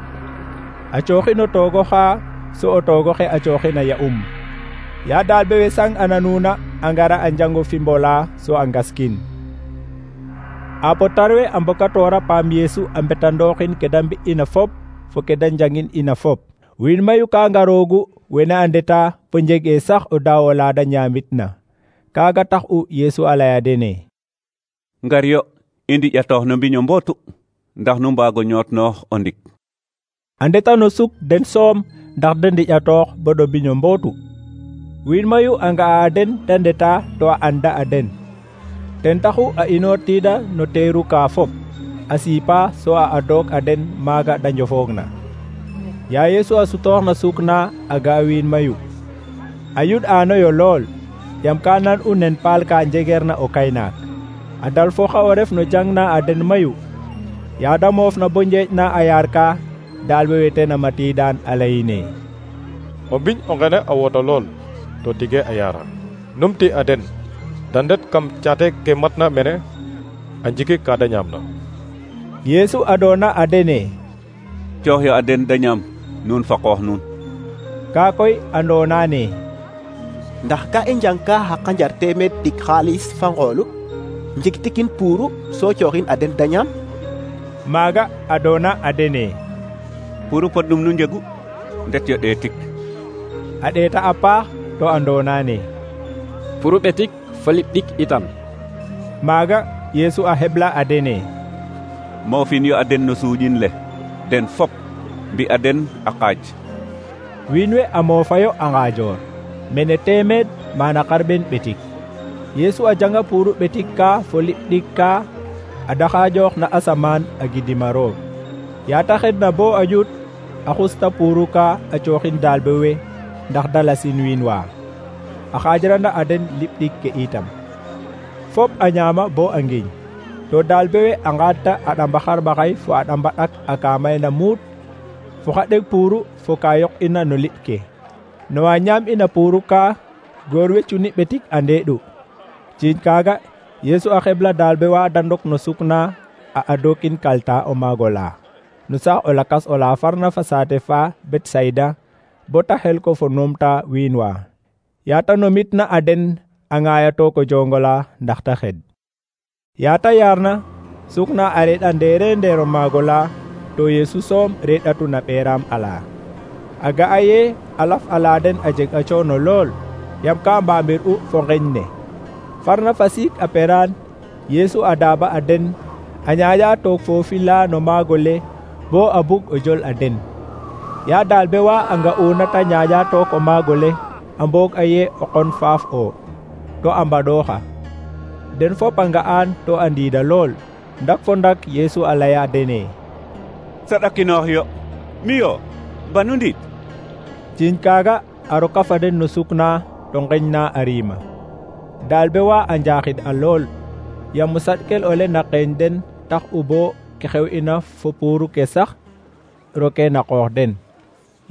a cooxin o toogoxa so o toogoxe a cooxin a ya'um ya daalbe we sang a nanuna a ngara a njango fi mbola so a ngaskin a potar we a mbokatoora paam Yeesu a mbetandooxin ke da mbi'ina fop fo ke da njangin ina fop wiin mayu ka ngaroogu wene a ndeta fo njeg'ee sax o daaw ola da ñaamitna kaaga tax u Yeesu a laya dene ngar yo i ndiƴatoox no mbiño mbootu ndax nu mbaago ñootnoox o ndik. a ndeta no suk den soom ndax de ndiƴatoox bo ɗo mbiño mbootu wiin mayu a nga'a den da ndeta to a anda a den ten taxu a inoortiida no teeru ka fop a siipa so a adoog a den maaga da njofoogna ya Yeesu a sutoox na suk na a ga wiin mayu a yud'aanoyo lool yam ka nan u nen paal ka njegeerna o kaynaak a dal foxa o ref no jang na a den mayu ya da moofna bo njeeƴ na a yaar ka daalbe we ten a matiidaan a layine o mbiñ o ngene a woto lool to tige a yaara numti a den da ndet kam caate ke matna mene a njikik ka da ñaamna. Yeesu adoona a dene coox yo a den da ñaam nuun fa qoox nuun kaa koy andoonaane ndax ka i njang ka xa qanjar teemeed ɗik xaalis fa ngoolu njigtikin puuru so cooxin a den da ñaam. maaga adoona a dene puuru podnum nu njegu ndet yo ɗeetik. A ɗeeta a paax to andoona ne puru ɓetik fo liɓ ɗik itam. maaga Yeesu a heɓla a dene moofin yo a den no suuƴin le den fop mbi a den a qaaj. wiin we a moofayo a ngaajoor mene teemeed mana xarɓen ɓetik. Yeesu a janga puru ɓetik ka fo liɓ ɗik ka a daxaajoox na asamaan a gidima roog. yaata xedna bo a ƴut a xusta puru ka a cooxin daalbe we ndax dalasin wiin wa a xaajrana a den liɓ ɗik ke itam. fop a ñaama bo a ngiñ to daalbe we a ngaadta a ɗamba xarɓaxay fo a ɗamba ɗak a kaamayna muut fo xa ɗeg puru fo ka yoq ina no liɓ ke. no wa ñaam ina puru ka goor we cuni ɓetik a ndeeɗu. ciiñ kaaga Yeesu a xebla daalbe wa da ndok no sukna a adokin kalta o maago la no saax o lakas o la farna fa saate fa Betsayda bo ta xel ko fo numta wiin wa. yaata nomitna a den a ŋaayato ko jongola ndax ta xed. yaata yaarna sukna a reɗa ndeere ndeer o maago la to Yeesu soom reɗatu na ɓeeraam ala. a ga'a ye a laf ala den a jeg a coono lool yam ka mbaamir u fo ngeñ ne. farna fa siik a peraan Yeesu a daaba a den a ñaaƴa toog foofi la no maago le bo a bug o jol a den. yaa daalbe wa a nga'una ta ñaaƴa toog o maago le a mboog a ye o qon faaf o to a mbaɗooxa. den fop a nga'aan to a ndiida lool ndak fo ndak Yeesu a laya dene saɗakinoox yo mi yo banu ndiit. ciiñ kaaga a roka fa den no sukna to ngeñ na a riima. daalbe wa a njaaxid a lool yaam saɗkel ole na qeeñ den tax u bo ke xew ina fo puru ke sax roke na qoox den.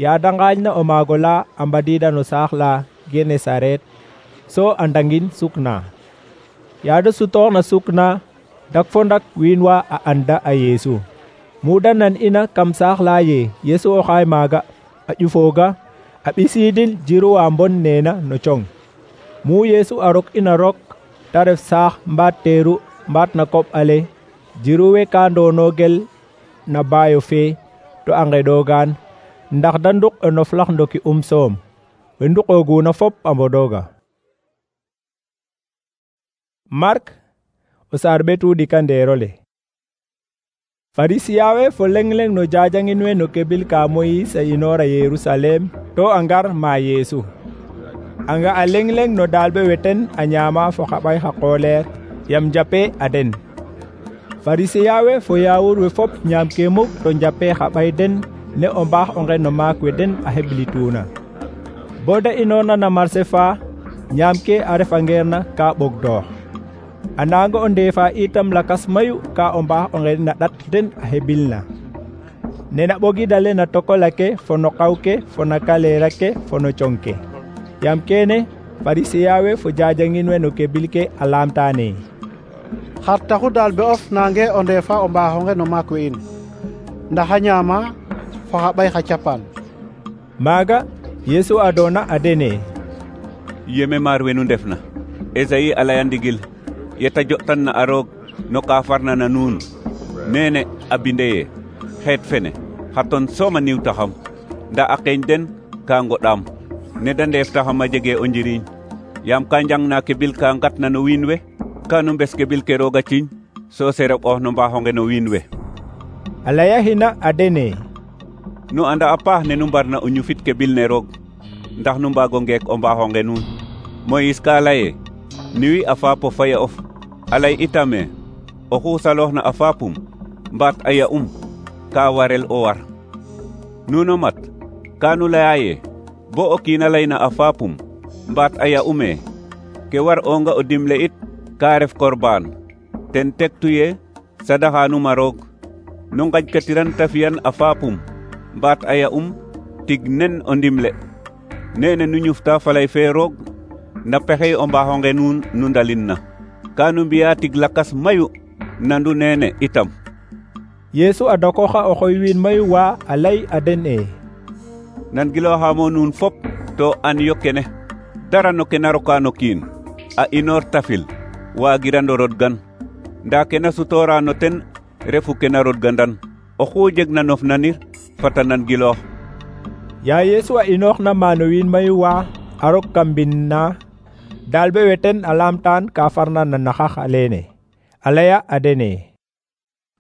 yaada ngaaƴna o maago la a mbadiida no saax la Genesaret so a ndangin sukna. yaada sutoox na sukna dak fo ndak wiin wa a anda a Yeesu. muda nan ina kam saax la ye Yeesu o xaay maaga a ƴufooga a ɓisiidin jiru wa mbon neena no cong. mu Yeesu a rok ina rok ta ref saax mbaat teeru mbaat na koɓ ale jiru we ka ndoonogel na baayo fe to a ngeɗoogaan ndax da nduk o noflax ndoki um soom we nduqooguna fop a mbodooga. Mark o saar ɓetu ɗika ndeerole. farisiya we fo leng-leng no jajangin we no kebil ka Moyis a inoora Yerusalem to a ngar ma Yeesu. a nga a leng-leng no daalbe weten a ñaama fo xa ɓay xa qooleer yam njape a den. farisiya we fo yaawur we fop ñaam ke muk to njape xa ɓay den ne o mbaax o nge no maak we den a heɓlituuna. bo da inoorna na marse fa ñaam ke a refangeerna ka ɓogdoox. a naanga o ndeefa itam lakas mayu ka o mbaax o nge na ɗat den a heɓilna. nena ɓogidale na tokola ke fo no qaw ke fo na kaleera ke fo no cong ke. yam kene farisiya we fo jajangin we no kebil ke a laamtaane xar taxu daalbe of nange o ndeefa o mbaaxonge no maak we in ndax a ñaama fo xa ɓay xa capaan. maaga Yeesu a doona a dene yeme maar we nu ndefna Esayi a laya ndigil yeta jo'tanna a roog no ka farna na nuun nene a binde ye xeet fene xa ton soom a niwtaxam nda a qeeñ den ka ngoɗaam ne da ndeeftaxam a jege o njiriñ yaam ka njangna kebil ka ngatna no wiin we ka nu mbes kebil ke roog a ciiñ so sereɓoox no mbaaxonge no wiin we. a layaxina a dene nu anda a paax ne nu mbarna o ñufit kebil ne roog ndax nu mbaago ngeek o mbaaxonge nuun. Moyis ka laye niwi a faapo faya of a lay itame oxu salooxna a faapum mbaat a ya'um ka warel o war. nuno mat ka nu laya ye bo o kiina layna a faapum mbaat a ya'ume ke war onga o dimle it ka ref korbaan ten tektu ye sadaxanuma roog nu ngajkatiran ta fiyan a faapum mbaat a ya'um tig nen o ndimle nene nu ñufta falay fe roog na pexey o mbaaxonge nuun nu ndalin na ka nu mbiya tig lakas mayu nandu nene itam. Yeesu a dokoxa o xoy wiin mayu wa a lay a den e nan gilooxamo nuun fop to an yo kene dara no ke na roka no kiin a inoor tafil waagirando rodgan nda ke na sutoora no ten refu ke na rodgandan oxu jeg na nof nanir fata nan giloox Ya Yesu a inooxna maano wiin mayu wa a rok kam mbind na dalbe weten a laamtaan ka farna na naxax alene a laya a dene: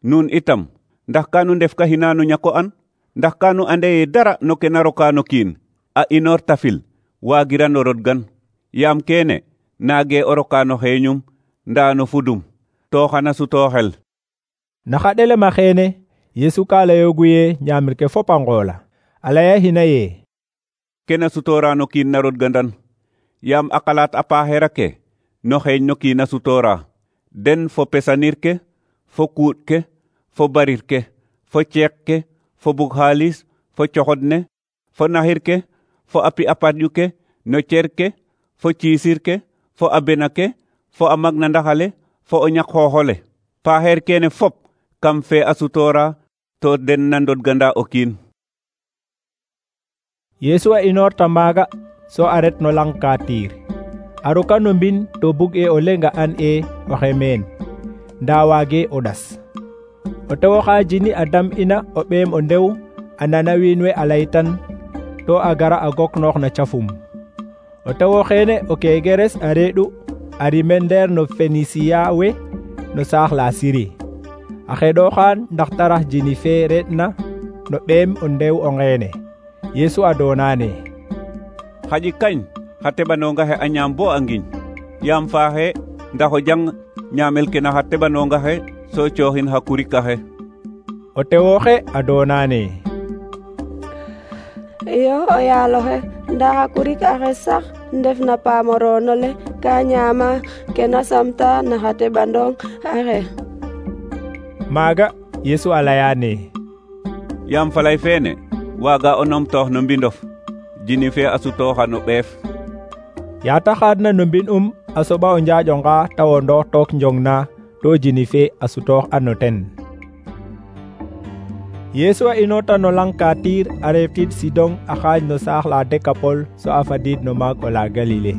Nun itam ndax kanu ndef ka hinanu ñako an? Ndax kanu ande ye dara no ke na roka no kiin a inoor tafil waagirano rodgan, yaam kene naage o roka no xeeñum nda no fudum to xana suto xel. Naxa ɗelema xeene Yesu ka layoogu ye ñaamir ke fop a ngoola a laya hina ye: Kena sutora no kiin na rodgandan, yaam a qalaat a paaxeer ake no xeeñ no kiin a sutora, den fo pesanir ke, fo kuut ke, fo barir ke, fo ceek ke, fo bug xaalis, fo coxod ne, fo naxir ke, fo api a parƴu ke, no cer ke, fo ciisir ke, fo a bena ke, fo a mag na ndaxale, fo o ñak xooxole. Paaxeer kene fop kam fe a sutora to den na ndodganda o kiin. Yesu a inoorta maaga so a ret no lang ka tiir a roka no mbin to bug e o lenga an e oxe meen nda waage o ɗas. O tewo xa jini a dam ina o ɓeem o ndew a nana wiin we a laytan to a gara a gok noox na cafum. O tewo xeene o kegeres a reeɗu a rimen ndeer no Fenisiya we no saax la Siri. A xeɗoxaan ndax tarax jini fe reɗna no ɓeem o ndew o ngeene. Yesu a doonane: Xaƴi kañ xa teɓanonga xe a ñaam bo a ngiñ, yaam faaxe ndax o jang ñaamel ke na xa teɓanonga xe so cooxin xa kurik axe. O tewoxe a doonane: Iyo o yaaloxe, nda xa kurik axe sax ndef na paamoroonole ka ñaama ke na samta na xa teɓandong axe. Maaga Yesu a layane: Yaam falay feene waaga o numtoox no mbindof, jini fe a sutooxa no ɓeef. Yaa ta xaadna no mbin um a soɓa o njaaƴonga ta wondoox took njong na to jini fe a sutoox a no ten. Yesu a inoorta no lang ka tiir a reefid Sidon a xaaj no saax la Dekapol so a fadiid no maag o la Galile.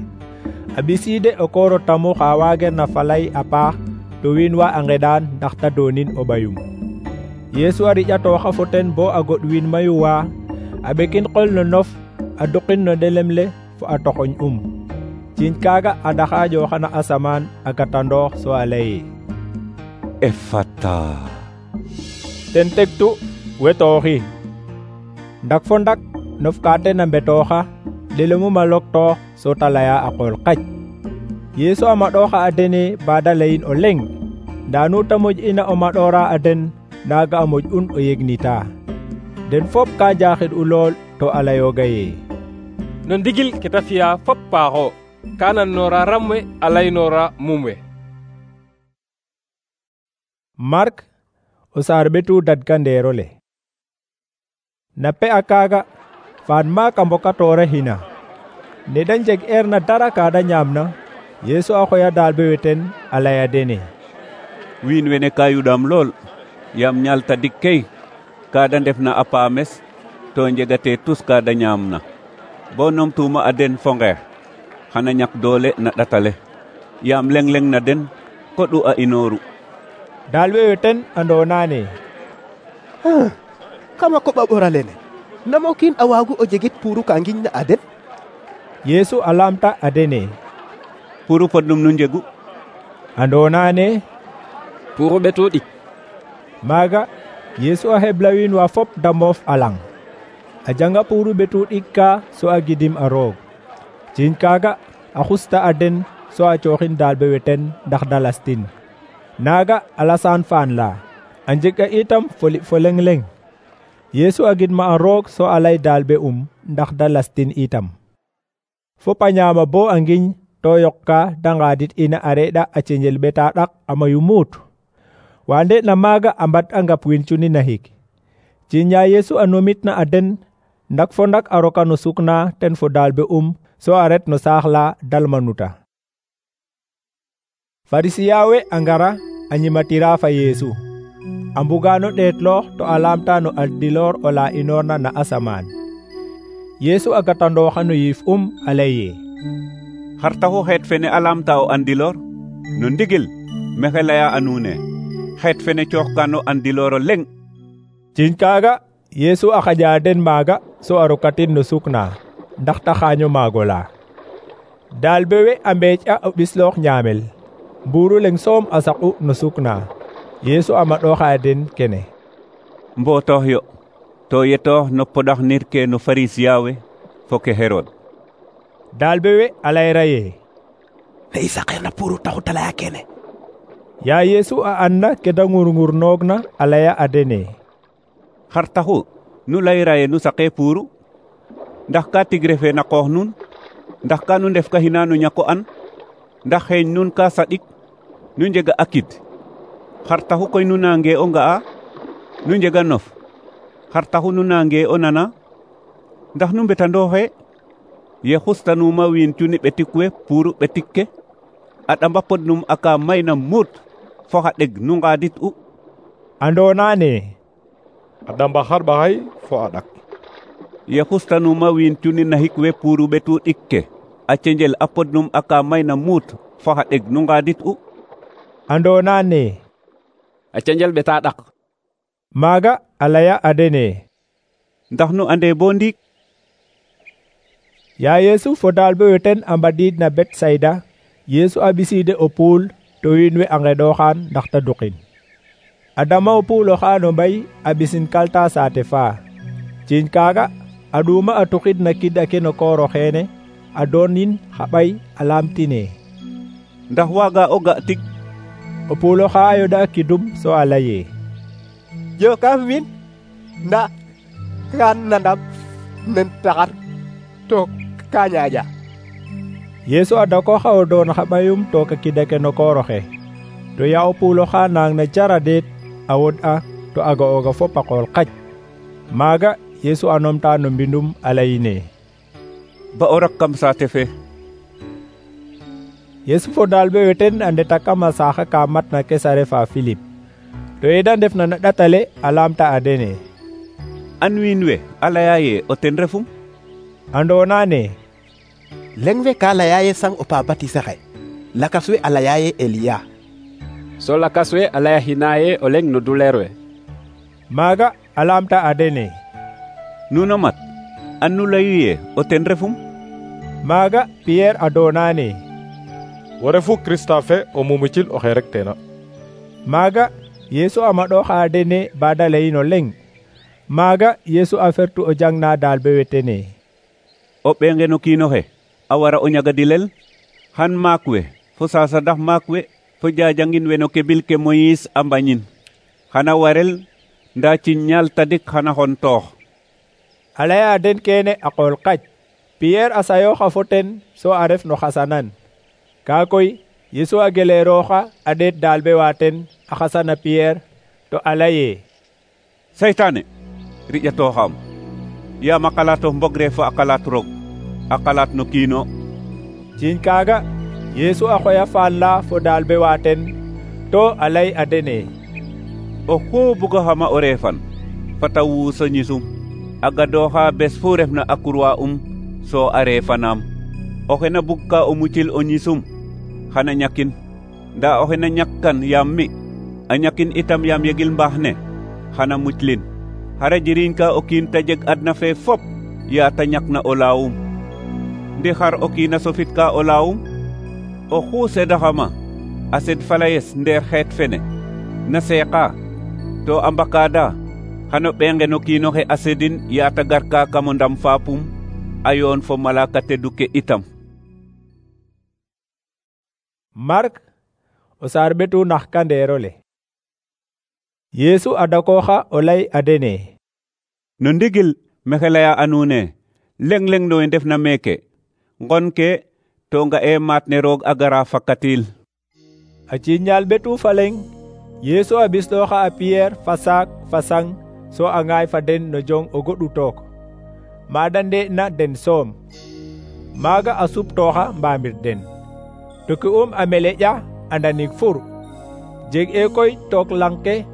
A ɓisiide o kooro tamu xa waager na falay a paax to wiin wa a ngeɗaan ndax ta doonin o ɓayum. Yesu a riƴatooxa fo ten bo a goɗ wiin mayu wa a ɓekin qol no nof a duqin no ndelem le fo a toxoñ um. Ciiñ kaaga a ɗaxaaƴooxana asamaan a gatandoox so a laye: Efata. Ten tegtu wetooxi. Ndak fo ndak nof ka ten a mbetooxa ɗelumum a loktoox so ta laya a qool qac. Yesu a maɗooxa a dene baada layin o leŋ, ndaa nu ta moƴ ina o maɗoora a den naaga a moƴ un o yegnita. Den fop ka jaaxid u lool to a layooga ye: No ndigil ke ta fi'a fop paaxo, ka nannoora ram we a laynoora mum we. Mark o saar ɓetu dadgandeerole. Na pe a kaaga faan maak a mbokatoora hina. Ne da njeg eer na dara ka da ñaamna, Yesu a xoya daalbe we ten a laya dene: Wiin wene ka yuɗaam lool, yaam ñaal tadik key ka da ndef na a paames to njegate tus ka da ñaamna. Bo numtuuma a den fo ngeex xana ñak doole na ɗatale, yaam leŋ-leŋ na den koɗu a inooru. Daalbe we ten a ndoonane: Kama koɓa ɓora lene, nam o kiin a waagu o jegit puuru ka ngiñ na a den? Yesu a laamta a dene: Puuru podnum nu njegu? A ndoonane: Puuru ɓetu ɗik. Maaga Yesu a hebla wiin wa fop da moof a lang. A janga puuru ɓetu ɗik ka so a gidim a roog. Ciiñ kaaga a xusta a den so a cooxin daalbe we ten ndax da lastin. Naaga a lasaan faan la, a njega itam foli fo leŋ-leŋ. Yesu a gidma a roog so a lay daalbe um ndax da lastin itam. Fop a ñaama bo a ngiñ to yoqka da ngaadit ina a reɗa a ceñel ɓeta ɗak a mayu muut. Waande na maaga a mbad a ngap wiin cuni nahik. Ciiñ ya Yesu a nomitna a den, ndak fo ndak a roka no sukna ten fo daalbe um so a ret no saax la Dalmanuta. Farisiya we a ngara a ñimatira fa Yesu. A mbugano ɗeetloox to a laamta no aldiloor o la inoorna na asamaan. Yesu a gatandooxa no yiif um a lay ye: Xar taxu xeet fene a laamta o andiloor? No ndigil mexe laya a nuune, xeet fene cooxkano andiloor o leŋ. Ciiñ kaaga Yeesu a xaƴa den maaga so a rokatin no suk na ndax ta xaaño maagola. Daalbe we a mbeec a o ɓisloox ñaamel, mbuuru leŋ soom a saqu no suk na. Yeesu a maɗooxa den kene: Mbotoox yo, to yetoox no poɗax nir ke no Farisiya we fo ke Herod. Daalbe we a layra ye: ne i saqeerna puuru taxu ta laya kene. Yaa Yeesu a anna ke da ngur-ngurnoogna a laya a dene: Xar taxu nu layra ye nu saqe puuru? Ndax ka tig refe na qoox nun? Ndax ka nu ndef ka hina no ñako an? Ndax xeeñ nun ka saɗik? Nu njega akid. Xar taxu koy nu nange o nga'a? Nu njega nof. Xar taxu nu nange o nana? Ndax nu mbetandooxe? Ye xustanuma wiin cuni ɓetik we puuru ɓetik ke, a ɗamba podnum aka mayna muut fo xa ɗeg nu ngaadit u. Andoona ne a ɗamba xarɓaxay fo a ɗak. Ye xustanuma wiin cuni naxik we puuru ɓetu ɗik ke, a cenjel a podnum aka mayna muut fo xa ɗeg nu ngaadit u. Andoona ne a cenjel ɓeta ɗak. Maaga a laya a dene: Ndax nu ande bo ndiik? Yaa Yeesu fo daalbe we ten a mbadiid na Betsayda, Yeesu a ɓisiide o puul to wiin we a nqeɗooxaan ndax ta duqin. A dama o puul oxa no mbay a ɓisin kalta saate faa. Ciiñ kaaga a ɗuuma a tuxid na kid ake no koor oxeene, a doonin xa ɓay a laamtine: Ndax waaga o ga tig? O puul oxa a yoɗa a kidum so a laye: Jo kam wiin nda kan nandam nen taxar to ka ñaaƴa. Yeesu a dakooxa o doon xa ɓayum took a kid ake no koor oxe. To yaa o puul oxa naang na jara deet a wod'a to a ga'ooga fop a qool qac. Maaga Yeesu a numta no mbindum a layine: Ba o rak kam saate fe. Yeesu fo daalbe we ten a ndeta kam a saaxa ka matna Kesare fa Filip. To ye da ndefna na ɗatale a laamta a dene: An wiin we a laya ye o ten refum? Andoona ne leŋ we ka laya ye sang o pa batise xe, lakas we a laya ye Eliya, so lakas we a laya hina ye o leŋ no duleer we. Maaga a laamta a dene: Nuno mat, an nu layu ye o ten refum? Maaga Piyeer a doona ne: Wo refu Krista fe o mumicil oxe rek teena. Maaga Yeesu a maɗooxa a dene ba da layin o leŋ. Maaga Yeesu a fertu o jangna daalbe we tene: O ɓeenge no kiin oxe a wara o ñagadilel, xan maak we fo sasadax maak we fo jajangin we no kebil ke Moyis a mbañin. Xana warel nda ciñ ñaal tadik xana xon toox. A laya a den kene a qool qac. Piyeer a sayooxa fo ten so a ref no xasanan. Kaa koy Yeesu a geleerooxa a ɗeet daalbe wa ten a xasana Piyeer to a laye: Seytaane, riƴatooxaam. Yaam a qalatof mbogre fo a qalat roog, a qalat no kiino. Ciiñ kaaga Yeesu a xoya faal la fo daalbe wa ten to a lay a dene: Oxu bugaxama o reefan, fata wuus o ñisum. A gadooxa bes fu refna a kurwa um so a reefanaam. Oxe na bugka o mucil o ñisum xana ñakin, nda oxe na ñakkan yaam mi, a ñakin itam yaam yegil mbaax ne, xana muclin. Xara jiriñ ka o kiin ta jeg adna fe fop yaa ta ñakna o laawum. Ndi xar o kiin a sofit ka o laawum? Oxu sedaxama a sed falayes ndeer xeet fene na seeqa to a mbakaada, xano ɓeenge no kiinoxe a sedin yaa ta garka kam o ndam faapum a yoon fo malaka teddu ke itam. Mark o saar ɓetu nax kandeerole. Yeesu a dakooxa o lay a dene: No ndigil mexe laya a nuune leŋ-leŋ no we ndefna meeke ngon ke to nga'e maat ne roog a gara fakatil. A ciiñal ɓetu fa leŋ Yeesu a ɓislooxa a Piyeer fa saak fa sang so a ŋaay fa den no jong o goɗu took, maada nde'na den soom. Maaga a suptooxa mbaamir den. To ke um a meleƴa a ndanig fur. Jeg e koy took lang ke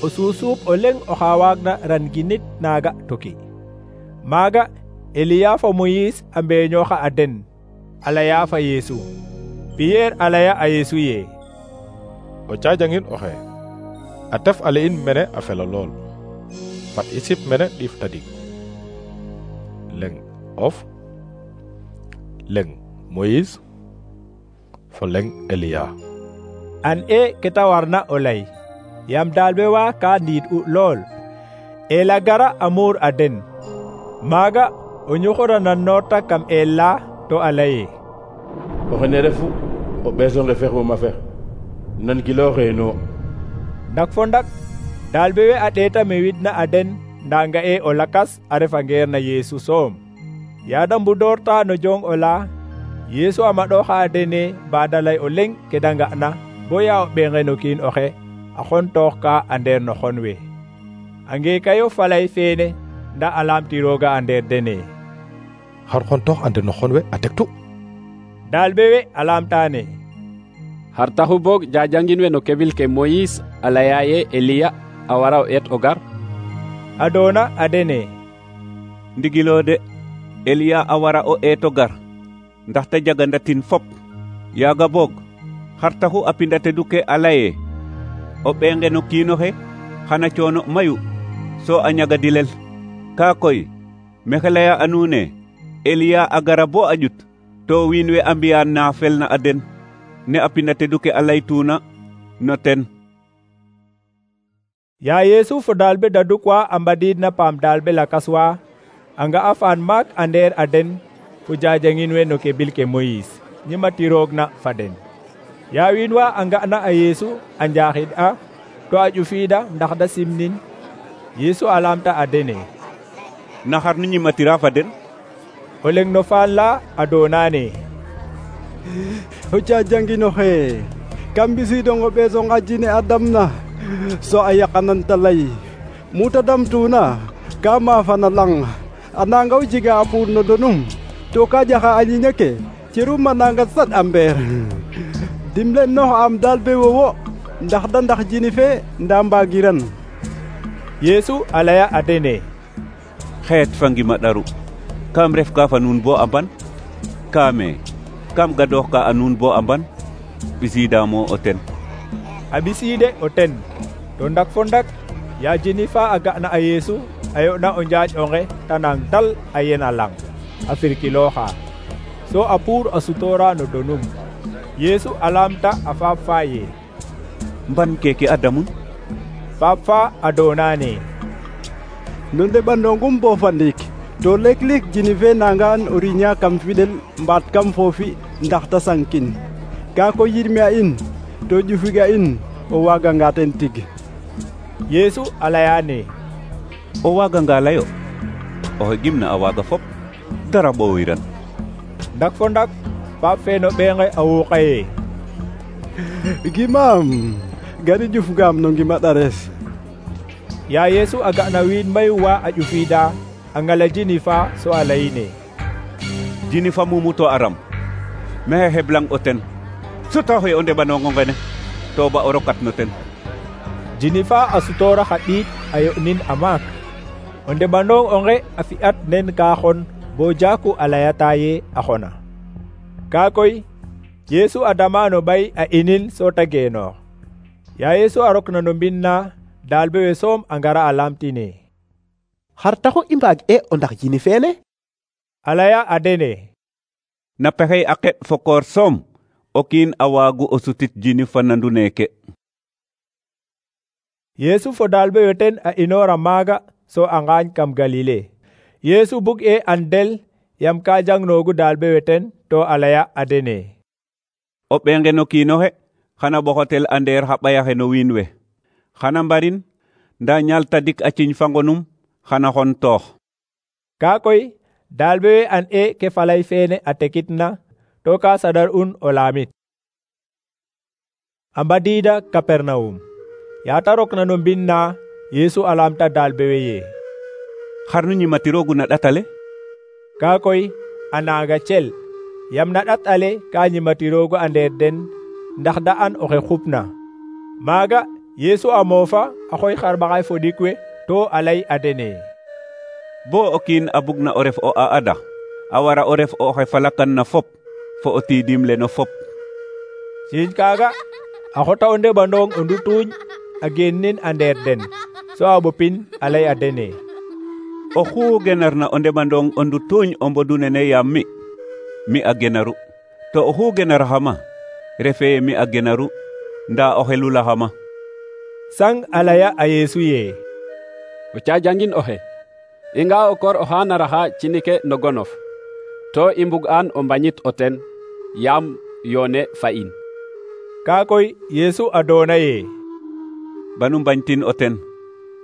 o suusuub o leŋ oxa waagna ranginit naaga toki. Maaga Eliya fo Moyis a mbeeñooxa a den, a laya fa Yeesu. Piyeer a laya a Yeesu ye: O caajangin oxe, a tef ale in mene a fela lool. fat i sip mene ɗiif tadik. Leng of leng Moïse fo leng Eliya. an e keta warna o lay yam dalbe wa ka ndiid u lool ela gara amur a den maaga o ñuxura nan noota kam el la to a laye o xene refu o ɓeeso nge fex wo ma fex nan gilooxeeno. ndak fo ndak dalbe we a ɗeeta me widna a den nda nga e o lakas a refa ngeer na Yeesu soom yaada mbudoorta no jong ola Yeesu a maɗooxa a dene baada lay o leŋ ke da nga'na bo ya o ɓeenge no kiin oxe a xontoox ka a ndeer no xon we a ngeekayo falay feene nda a laamtirooga a ndeer dene xar xontoox a ndeer no xon we a tektu. dalbe we a laamtaane xar taxu boog jajangin we no kebil ke Moïse a laya ye Eliya a wara o eet o gar. a doona a dene ndigilo de Eliya a wara o eeto gar ndaxte jagandatin fop yaaga boog xar taxu a pindatedu ke a laye o ɓeenge no kiinoxe xana coono mayu so a ñagadilel kaa koy mexe laya a nuune Eliya a gara bo a ƴut to wiin we a mbiya na felna a den ne a pindatedu ke a laytuna no ten. ya Yeesu fo dalbe daduk wa a mbadiid na paam dalbe lakas wa a nga a faan maak a ndeer a den fo jajangin we no kebil ke Moïse ñimatiroog na fa den ya wiin wa a nga na a Yeesu a njaaxid a to a ƴufiida ndax da simnin Yeesu a laamta a dene naxar nu ñimatira fa den o leŋ no faan la a doonaane o jajanginoxe kam mbisiidong o ɓeesong a jine a damna so a yaqananta lay muta damtuna ka maafana lang a nanga o jega a puur no donum to ka jaxa a ñiña ke cerum a nanga sat a mbeer dimle noox am daal be wowo ndax da ndax jini fe nda mbaagiran. Yeesu a laya a dene xeet fa ngima ɗaru kam ref ka fa nuun bo a mban kaame kam gadoox ka a nuun bo a mban ɓisiidamo o ten. a ɓisiide o ten to ndak fo ndak ya jini fa a ga'na a Yeesu a yo'na o njaaƴ onge ta nang tal a yena lang a firkilooxa so a puur a sutoora no donum Yeesu a laamta a faap fa ye mban keke a damun faap fa a doonaane no ndeɓandongum bo fa ndiik to leek-leek jini fe nangaan o riña kam fiɗel mbaat kam foofi ndax ta sankin ka ko yirme a in to ƴufiga in o waaganga ten tig. Yeesu a layaane o waaganga layo oxe gimna a waaga fop dara ɓoowiran. ndak fo ndak faap fe no ɓeenge a wuuqaye gimaam gari ƴufgaam no ngima ɗares. ya Yeesu a ga'na wiin mayu wa a ƴufiida a ngala jini fa so a layine jini fa mumuto a ram mexe xeblang o ten sutaxoy o ndeɓanongo ngene to ba o rokat no ten. jini fa a sutoora xa ɗiiɗ a yo'nin a maak o ndeɓandong onge a fi'at nen ka xon bo jaaku a layata ye a xona kaa koy Yeesu a dama no ɓay a inil so ta geenoox ya Yeesu a rokna no mbind na dalbe we soom a ngara a laamtine xar taxu i mbaag e o ndax jini feene a laya a dene na pexey a qeɗ fo koor soom o kiin a waagu o sutit jini fa nandu neeke. Yeesu fo dalbe we ten a inoora maaga so a ngaañ kam Galile Yeesu bug e an del yam ka jangnoogu dalbe we ten to a laya a dene o ɓeenge no kiinoxe xana ɓoxotel a ndeer xa ɓayaxe no wiin we xana mbarin nda ñaal tadik a ciñ fa ngonum xana xon toox. kaa koy dalbe we an e ke falay feene a tekitna to ka sadar un o laamit. a mbadiida Kapernawum yaata rokna no mbind na Yeesu a laamta dalbe we ye xar nu ñimatiroogu na ɗatale kaa koy a naaga cel yam na ɗat ale ka ñimatiroogu a ndeer den ndax da an oxe xupna maaga Yeesu a moofa a xoy xarɓaxay fo ɗik we to a lay a dene bo o kiin a bugna o ref o a ada a wara o ref oxe falakan na fop fo o tiidim le no fop. siiñ kaaga a xota o ndeɓandong o ndutuuñ a geen nin a ndeer den so a ɓopin a lay a dene: oxu genarna o ndeɓandong o ndutuuñ o mbodu nene yaam mi mi a genaru, to oxu genaraxama refe ye mi a genaru nda o xelulaxama. Sang a laya a Yeesu ye: o cajangin oxe, i nga o koor oxa naraxa cinike no gonof, to i mbug an o mbañit o ten, yaam yoone fa in. Ka koy Yeesu a doona ye: banu mbañtin o ten,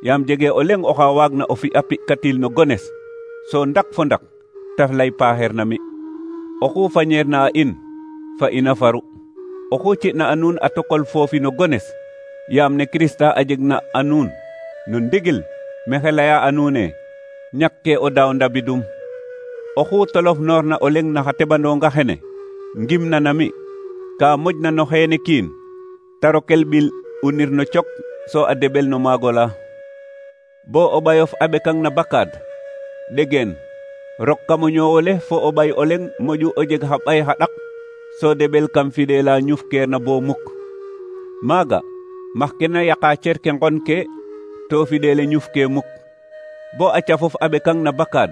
yaam jege o leŋ oxa waagna o fi'a pi'katil no gones, so ndak fo ndak ta lay paaxeer na mi. Oxu fañeerna a in, fa ina faru. Oxu ci'na a nuun a tokol foofi no gones, yaam ne Kirista a jegna a nuun no ndigil mexe laya a nuune ñakke o daaw ndabidum. Oxu tolof noorna o leŋ na xa teɓandonga xene ngimna na mi, ka moƴna no xeene kiin, ta rokel ɓil unir no cok so a deɓel no maagola. Bo o ɓayof a ɓekang na bakaad, ɗegeen rok kam o ñoowole fo o ɓay o leŋ moƴu o jeg xa ɓay xa ɗak, so deɓel kam fidela ñufkeerna bo muk. Maaga max ke na yaqa cerke ngon ke to fidele ñufke muk. Bo a cafof a ɓekang na bakaad,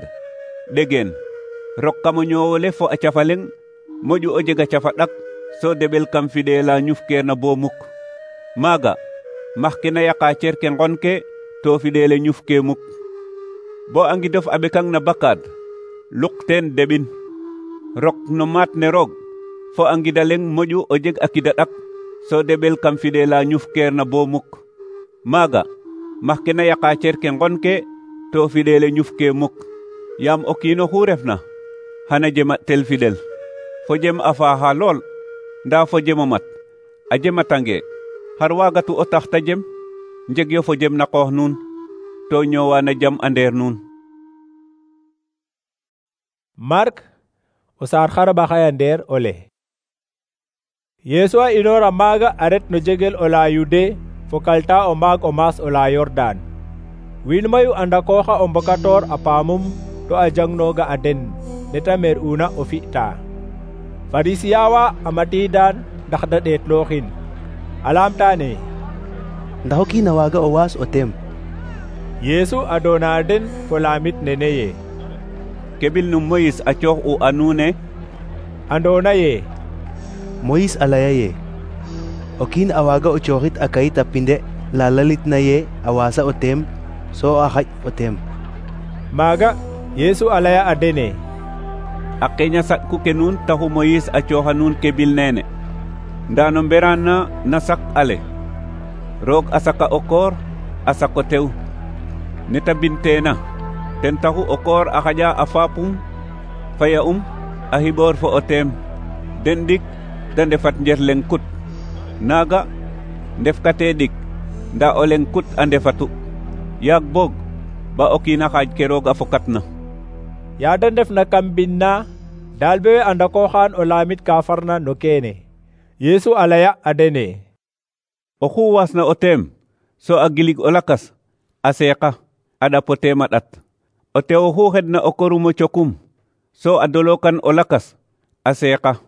ɗegeen rok kam o ñoowole fo a cafa leŋ moƴu o jeg a cafa ɗak, so deɓel kam fidela ñufkeerna bo muk. Maaga max ke na yaqa cerke ngon ke to fidele ñufke muk. Bo a ngidof a ɓekang na bakaad, luk teen deɓin rok no maat ne roog fo a ngida leŋ moƴu o jeg a kida ɗak, so deɓel kam fidela ñufkeerna bo muk. Maaga max ke na yaqa cerke ngon ke to fidele ñufke muk, yaam o kiin oxu refna xana jema tel fidel. Fo jem a faaxa lool, nda fo jem o mat a jematange xar waagatu o tax ta jem? njeg yo fo jem na qoox nuun, to ñoowana jam a ndeer nuun. Mark o saar xarɓaxaya ndeer ole. Yeesu a inoora maaga a ret no jegel o la Yude fo kalta o maag o maas o la Yordan. Wiin mayu a ndakooxa o mbokatoor a paamum to a jangnooga a den neta mer una o fi'ta. Farisiyawa a matiidaan ndax da ɗeetlooxin, a laamtaane: ndax o kiin a waaga o waas o tem? Yeesu a doona den fo laamit nene ye: kebil nu Moyis a coox u a nuune? Andoona ye: Moyis a laya ye o kiin a waaga o cooxit a kayit a pinde la lalitna ye a waasa o tem, so a xaƴ o tem. Maaga Yeesu a laya a dene: a qeeña saɗku ke nuun taxu Moyis a cooxa nuun kebil neene, nda no mberaan na na sak ale roog a saka o koor a sako tew. Neta binteena ten taxu o koor a xaƴa a faapum faya um a xiɓoor fo o teem, den ɗik da ndefat njer leŋ kut. Naaga ndefkate ɗik nda o leŋ kut a ndefatu, yaag boog ba o kiina xaaj ke roog a fokatna. Ya da ndefna kam mbind na dalbe we a ndakooxaan o laamit ka farna no keene. Yeesu a laya a dene: oxu waasna o teem so a gilig o lakas a seeqa a ɗap o teem a ɗat. O tew oxu xedna o korum o cokum so a dolokan o lakas a seeqa.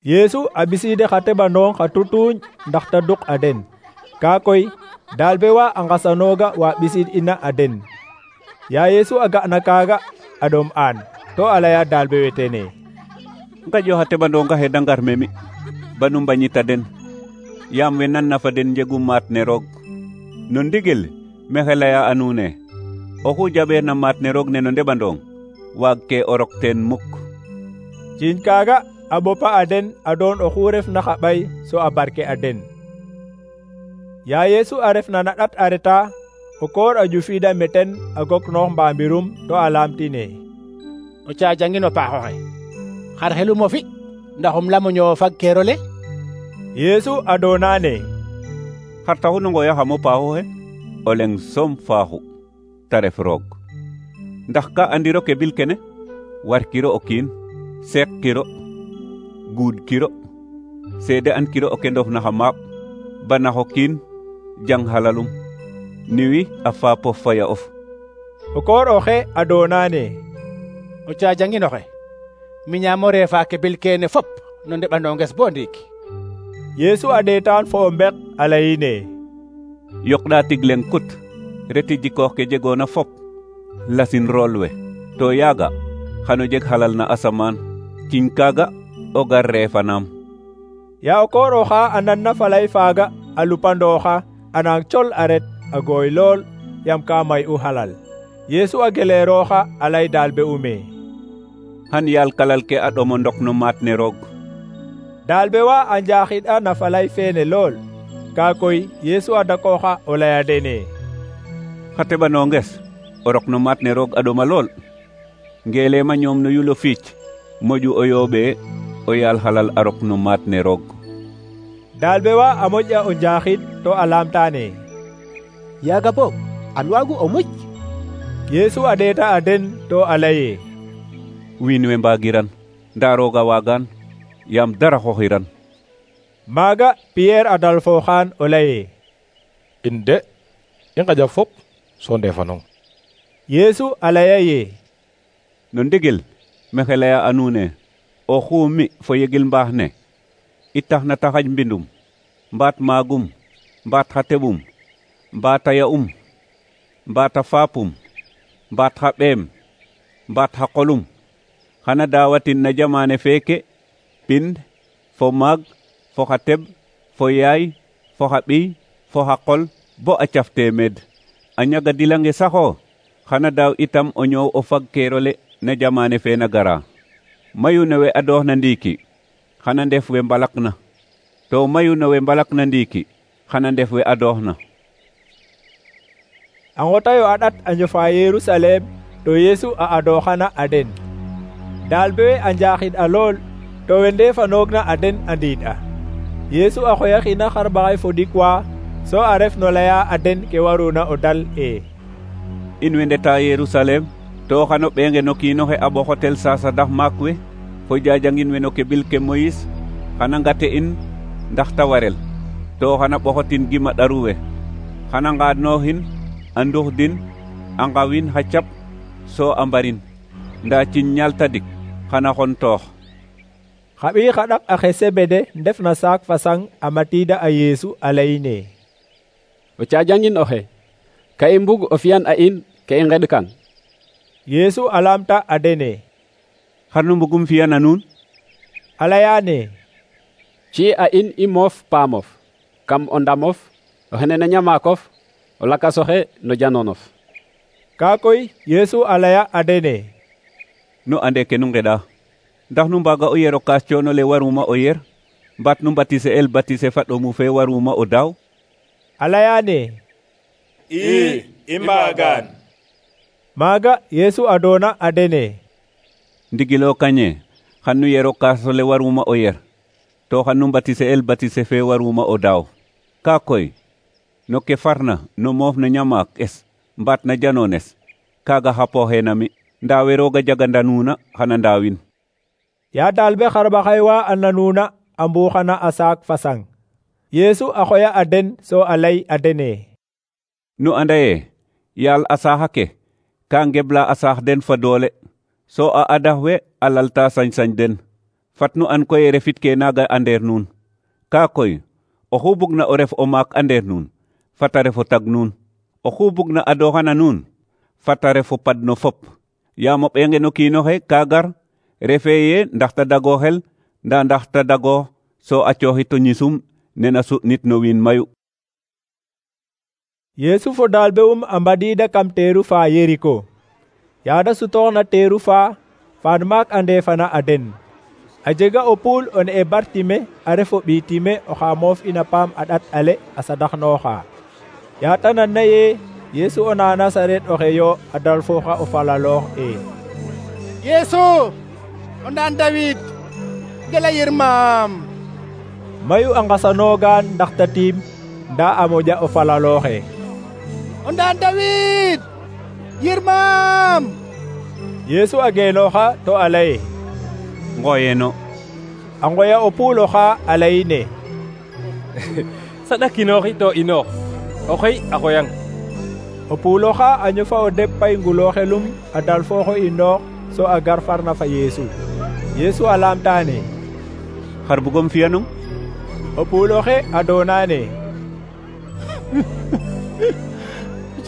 Yeesu a ɓisiide xa teɓandong xa tutuuñ ndax ta duk a den. Ka koy dalbe wa a nqasanooga wa ɓisiid ina a den. Ya Yeesu a ga'na kaaga a ɗom aan, to a laya dalbe we tene: ngaƴo xa teɓandonga xe da ngar me mi, banu mbañita den, yaam we nanna fa den njegu maat ne roog. No ndigil mexe laya a nuune, oxu jaɓeerna maat ne roog ne no ndeɓandong waag ke o rok teen muk. Ciiñ kaaga a ɓopa a den a doon oxu refna xa ɓay so a barke a den. Ya Yeesu a refna na ɗat a reta, o koor a ƴufiida meten a goknoox mbambirum to a laamtine: o cajangin o paaxoxe, xar xelum o fi ndax um lamo ñoowo fag keerole? Yeesu a doonane: xar taxu no ngooyaxam o paaxoxe? o leŋ soom faaxu, ta ref roog. Ndax ka andiro ke bil kene? warkiro o kiin, seeqkiro, guudkiro, seede ankiro o kendof na xa maaɓ, banax o kiin, jang halalum, niwi a faapof faya of. O koor oxe a doonane: o cajangin oxe, miñaam o reefa ke bil kene fop no ndeɓandonges bo ndiik. Yeesu a ɗeetaan fo o mbek a layine: yoqɗa tig leŋ kut reti jikoox ke jegoona fop lasin rool we to yaaga xano jeg halal na asamaan ciñ kaaga o gar reefanaam. Ya o koor oxa a nanna falay faaga a lupandooxa a nang col a ret a gooy lool yam ka may u halal. Yeesu a geleerooxa a lay daalbe ume han yaal kalal ke a ɗomo ndok no maat ne roog. Daalbe wa a njaaxid a na falay feene lool ka koy Yeesu a dakooxa o laya dene xa teɓanonges o rok no maat ne roog a ɗoma lool. Ngeelema ñoom no yulo fiic moƴu o yooɓe o yaal halal a rok no maat ne roog. Daalbe wa a moƴ'a o njaaxid to a laamtaane yaaga boog an waagu o muc. Yeesu a ɗeeta a den to a laye wiin we mbaagiran ndaa rooga waagaan yaam dara xoxiran. Maaga Pierre a dalfooxaan o laye in de i ngaƴa fop so ndeefanong. Yeesu a laya ye no ndigil mexe laya a nuun e o xuu mi fo yegil mbaax ne i taxna ta xaƴ mbindum mbaat maagum mbaat xa teɓum mbaat a ya'um mbaat a faapum mbaat xa ɓeem mbaat xa qolum xana daawatin na jamaane feeke pind fo maag fo xa teɓ fo yaay fo xa ɓiy fo xa qol bo a caf teemeed. a ñaga dilange saxo xana daaw itam o ñoow o fag keerole na jamaane fe na gara. mayu ne we adoox na ndiiki xana ndef we mbalak na to mayu ne we mbalak na ndiiki xana ndef we adoox na. a ngotayo a ɗat a njofa Yerusalem to Yeesu a adooxana a den. Daalbe we a njaaxid a lool to we ndeefanoogna a den a ndiid a. Yeesu a xoyaxina xarɓaxay fo ɗikwa so a ref no laya a den ke waruna o dal e in we ndeta Yerusalem to xano ɓeenge no kiinoxe a ɓoxotel saasa ndax maak we fo jajangin we no keɓil ke Moyis xana ngate in ndax ta warel to xana ɓoxotin gima ɗaru we xana ngaadnooxin a nduxdin a ngawin xa cap so a mbarin ndaa ciñ ñaal tadik xana xon toox. xa ɓiy xa ɗak axe Sebede ndef na saak fa sang a matiida a Yeesu a layine o caajangin oxe ka i mbug o fiyan a in ke i ngeɗ kan. Yeesu a laamta a dene xar nu mbugum fiyan a nuun? a layaane ci a in i moof paamof kam o ndamof o xene na ñamaakof o lakasoxe no janonof. ka koy Yeesu a laya a dene nu ande ke nu ngeɗa ndax nu mbaaga o yero kaas coono le waruma o yer mbaat nu mbatise el batise fa ɗomu fe waruma o daaw? a layaane i i mbaagaan. maaga Yeesu a doona a dene ndigilo kañe xan nu yero kaaso le waruma o yer to xan nu mbatise el batise fe waruma o daaw. ka koy no ke farna no moof no ñamaak es mbaat na janoones kaaga xa pooxeena mi ndaa we rooga jaganda nuuna xana ndaawin. yaa daalbe xarɓaxay wa a nanuuna a mbuuxana a saak fa sang. Yeesu a xoya a den so a lay a dene nu anda ye yaal a saaxa ke ka ngebla a saax den fa doole so a adax we a lalta sañ-sañ den. fat nu an koy refit ke naaga a ndeer nuun. ka koy oxu bugna o ref o maak a ndeer nuun fata ref o tag nuun. oxu bugna adooxana nuun fata ref o pad no fop. yaam o ɓeenge no kiinoxe ka gar refe ye ndax ta dago xel nda ndax ta dago so a cooxit o ñisum nena su'nit no wiin mayu. Yeesu fo daalbe um a mbadiida kam teeru fa Yeriko. yaada sutooxna teeru fa faan maak a ndeefana a den. a jega o puul o ne'e Bartime a ref o ɓiy Time oxa moof ina paam a ɗat ale a sadaxnooxa. yaata nanna ye Yeesu o na Nasaret oxe yo a dalfooxa o falaloox e Yeesu o ndaan Dawid gela yirmaam. mayu a ngasanoogaan ndax ta tiim ndaa a moƴa o falalooxe o ndaan Dawid yirmaam. Yeesu a geenooxa to a laye ngooyeeno. a ngoya o puul oxa a layine saɗakinooxi to inoox oxey a xoyang. o puul oxa a ñofa o deɓ pay ngulooxelum a dalfooxo inoox so a gar farna fa Yeesu. Yeesu a laamtaane xar bugom fiyanum? o puul oxe a doonaane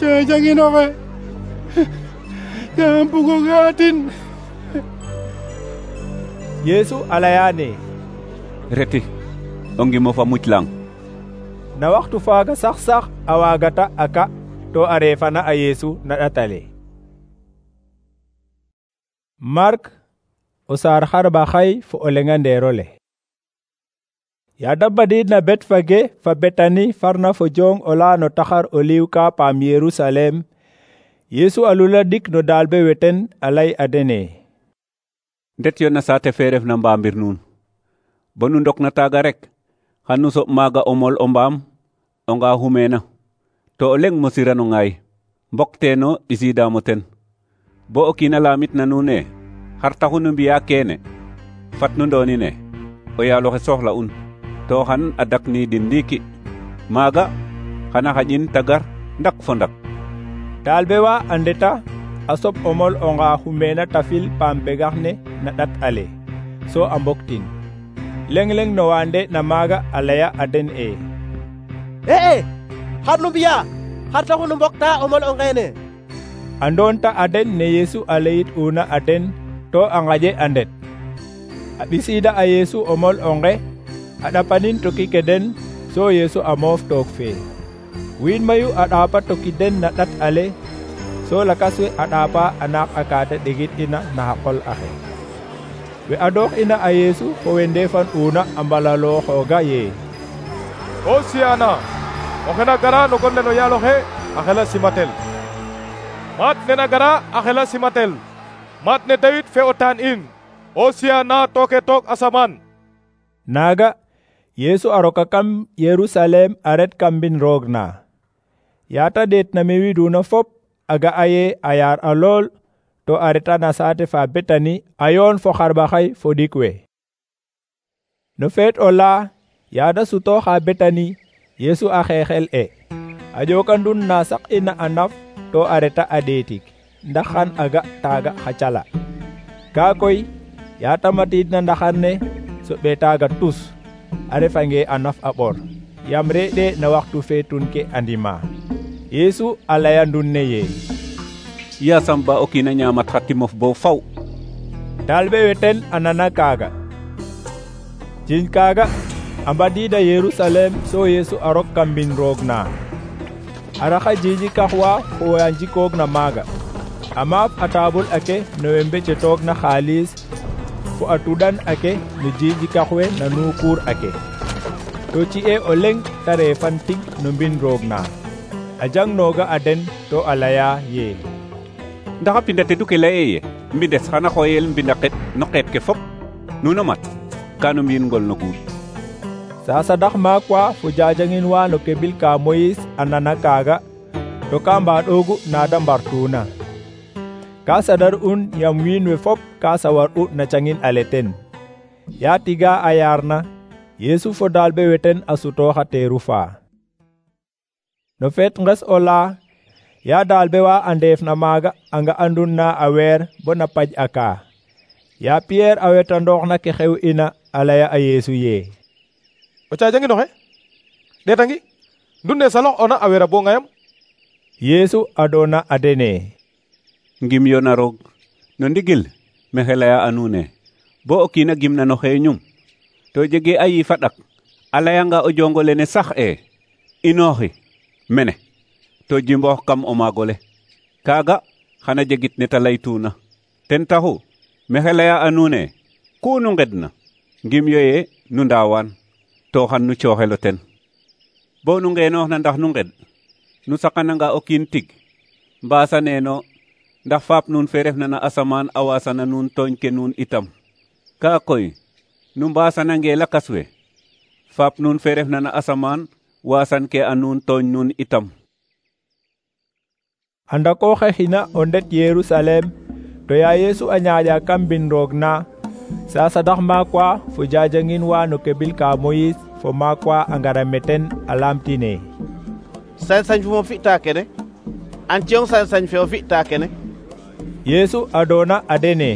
ca janginoxe yaam bugo gaatin. Yesu a layane reti o ngimo fa muclang. Na waxtu faaga sax sax a waagata a ka to a reefana a Yesu na ɗatale. Mark o saar xarba xay fo o lenga ndeerole. Yaada badiidna bet fage fa Betani farna fo jong ola no taxar oliw ka paam Yerusalem, Yesu alula dik no dalbe weten a lay a dene. Ndet yo na saate fe ref na mbaambir nuun bo nu ndok na taaga rek xan nu soɓ maaga o mol o mbaam o nga xumeena to o leng mosirano ngaay mbokteeno ɓisiidaamo ten bo o kiina laamit na nuun e xar taxu nu mbi'a keene fat nu ndoonine o yaaloxe soxla un to xan a dakniidin ndiiki maaga xana xaƴin tagar ndak fo ndak. Talbe wa a ndeta a soɓ o mol o nga xumeena tafil paam begax ne na ɗat ale so a mboktin leng leng no waande na maaga a laya a den e e e xar nu mbi'a xar taxu nu mbokta o mol o ngeene. a ndoonta a den ne Yesu a layit una a den to a ngaƴe a ndet a ɓisiida a Yesu o mol o nge a ɗapanin toki ke den so Yesu a moof took fee wiin mayu a ɗaapa toki den na ɗat ale so lakas we a ɗaapa a naaq a kaate ɗegit ina na xa qol axe we a doox ina a Yesu fo we ndeefan una a mbalalooxooga ye Hosiyana oxe na gara no gon le no yaaloxe a xela simatel. Maat ne na gara a xela simatel. Maat ne Dawid fe o taan in. Hosiyana tooke took asamaan. Naaga Yesu a roka kam Yerusalem a ret kam mbin roog na. Yaata deet na me widuna fop a ga'a ye a yaar a lool to a reta na saate fa Betani a yoon fo xarɓaxay fo ɗik we. No feet o la yaada sutooxa Betani Yesu a xeexel e a ƴookandun na saq ina a naf to a reta a ɗeetik ndax xan a ga taaga xa cala. Kaa koy yaata matiidna ndaxar ne soɓe taaga tus a refange a naf a ɓor yam reɗe na waxtu feetun ke a ndima. Yesu a layandun ne ye yasam ba o kiina ñaamat xa timof bo faw. Talbe we ten a nana kaaga. Ciiñ kaaga a mbadiida Yerusalem so Yesu a rok kam mbin roog na a raxa jiiji kaxwa fo we a njikoog na maaga a maaf a taabul ake no we mbecetoog na xaalis fo a tuɗan ake no jiiji kaxwe na nuukuur ake to ci'e o leng ta reefan tig no mbin roog na a jangnooga a den to a laya ye ndax a pinda tedu ke leye ye mbindes xana xooyel mbinda qet no qeet ke fop nuno mat kanu mbi'in ngol no guut. Sasa dax maak wa fo jajangin wa no kebil ka Moyis a nana kaaga to ka mbaɗoogu naada mbartuuna ka sadar un yam wiin we fop ka sawar u na cangin ale ten ya tiga a yaarna Yesu fo dalbe weten a sutooxa teeru faa. No feet nges o la ya dalbe wa a ndeef na maaga a nga andun na a weer bo na paj a kaa ya Pierre a wetandoox na ke xew ina a laya a Yesu ye o caajanginoxe ɗeetangi ndun ne salox ona a wera bo ngayam. Yesu a doona a dene ngim yo na roog no ndigil mexe laya a nuun e bo o kiina gimna no xeeñum to jege a yiif a ɗak a layanga o jongo lene sax e inooxi mene to jimboox kam o maagole kaaga xana jegit ne ta laytuuna ten taxu mexe laya a nuun e ku nu ngedna ngim yo ye nu ndaawaan to xan nu cooxelo ten bo nu ngeenooxna ndax nu nged nu saqananga o kiin tig mbaasa neeno ndax faap nuun fe refna na asamaan a waasana nuun tooñ ke nuun itam kaa koy nu mbaasanange lakas we faap nuun fe refna na asamaan waasan ke a nuun tooñ nuun itam. a ndakooxe xina o ndet Yerusalem to ya Yesu a ñaaƴa kam mbin roog na sasa dax maak wa fo jajangin wa no kebil ka Moyis fo maak wa a ngara meten a laamtine sañ-sañ fu mo fi'ta kene an ciyong sañ-sañ fe o fi'ta kene. Yesu a doona a dene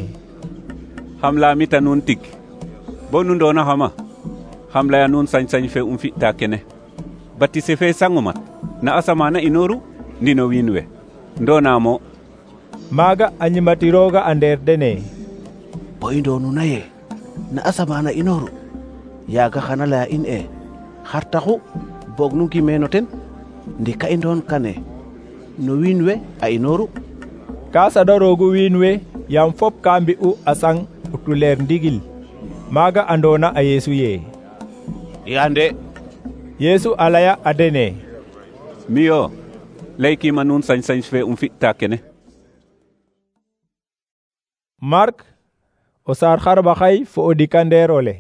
xam laamita nuun tig bo nu ndoona xama xam laya nuun sañ-sañ fe um fi'ta kene batise fe sangumat na asamaana inooru ndi no wiin we ndona mo. Maaga a ñimatirooga a ndeer dene: bo i ndoonuna ye na asamaan a inooru yaaga xana laya in e xar taxu boog nu ngimeeno ten ndi ka i ndoon kane no wiin we a inooru. Ka saɗaroogu wiin we yaam fop ka mbi'u a sang o tuleer ndigil. Maaga andoona a Yeesu ye: Yande. Yeesu a laya a dene: miyo laykiima nuun sañ-sañ fe um fi'ta kene. Mark o saar xarɓaxay fo o dikandeer ole.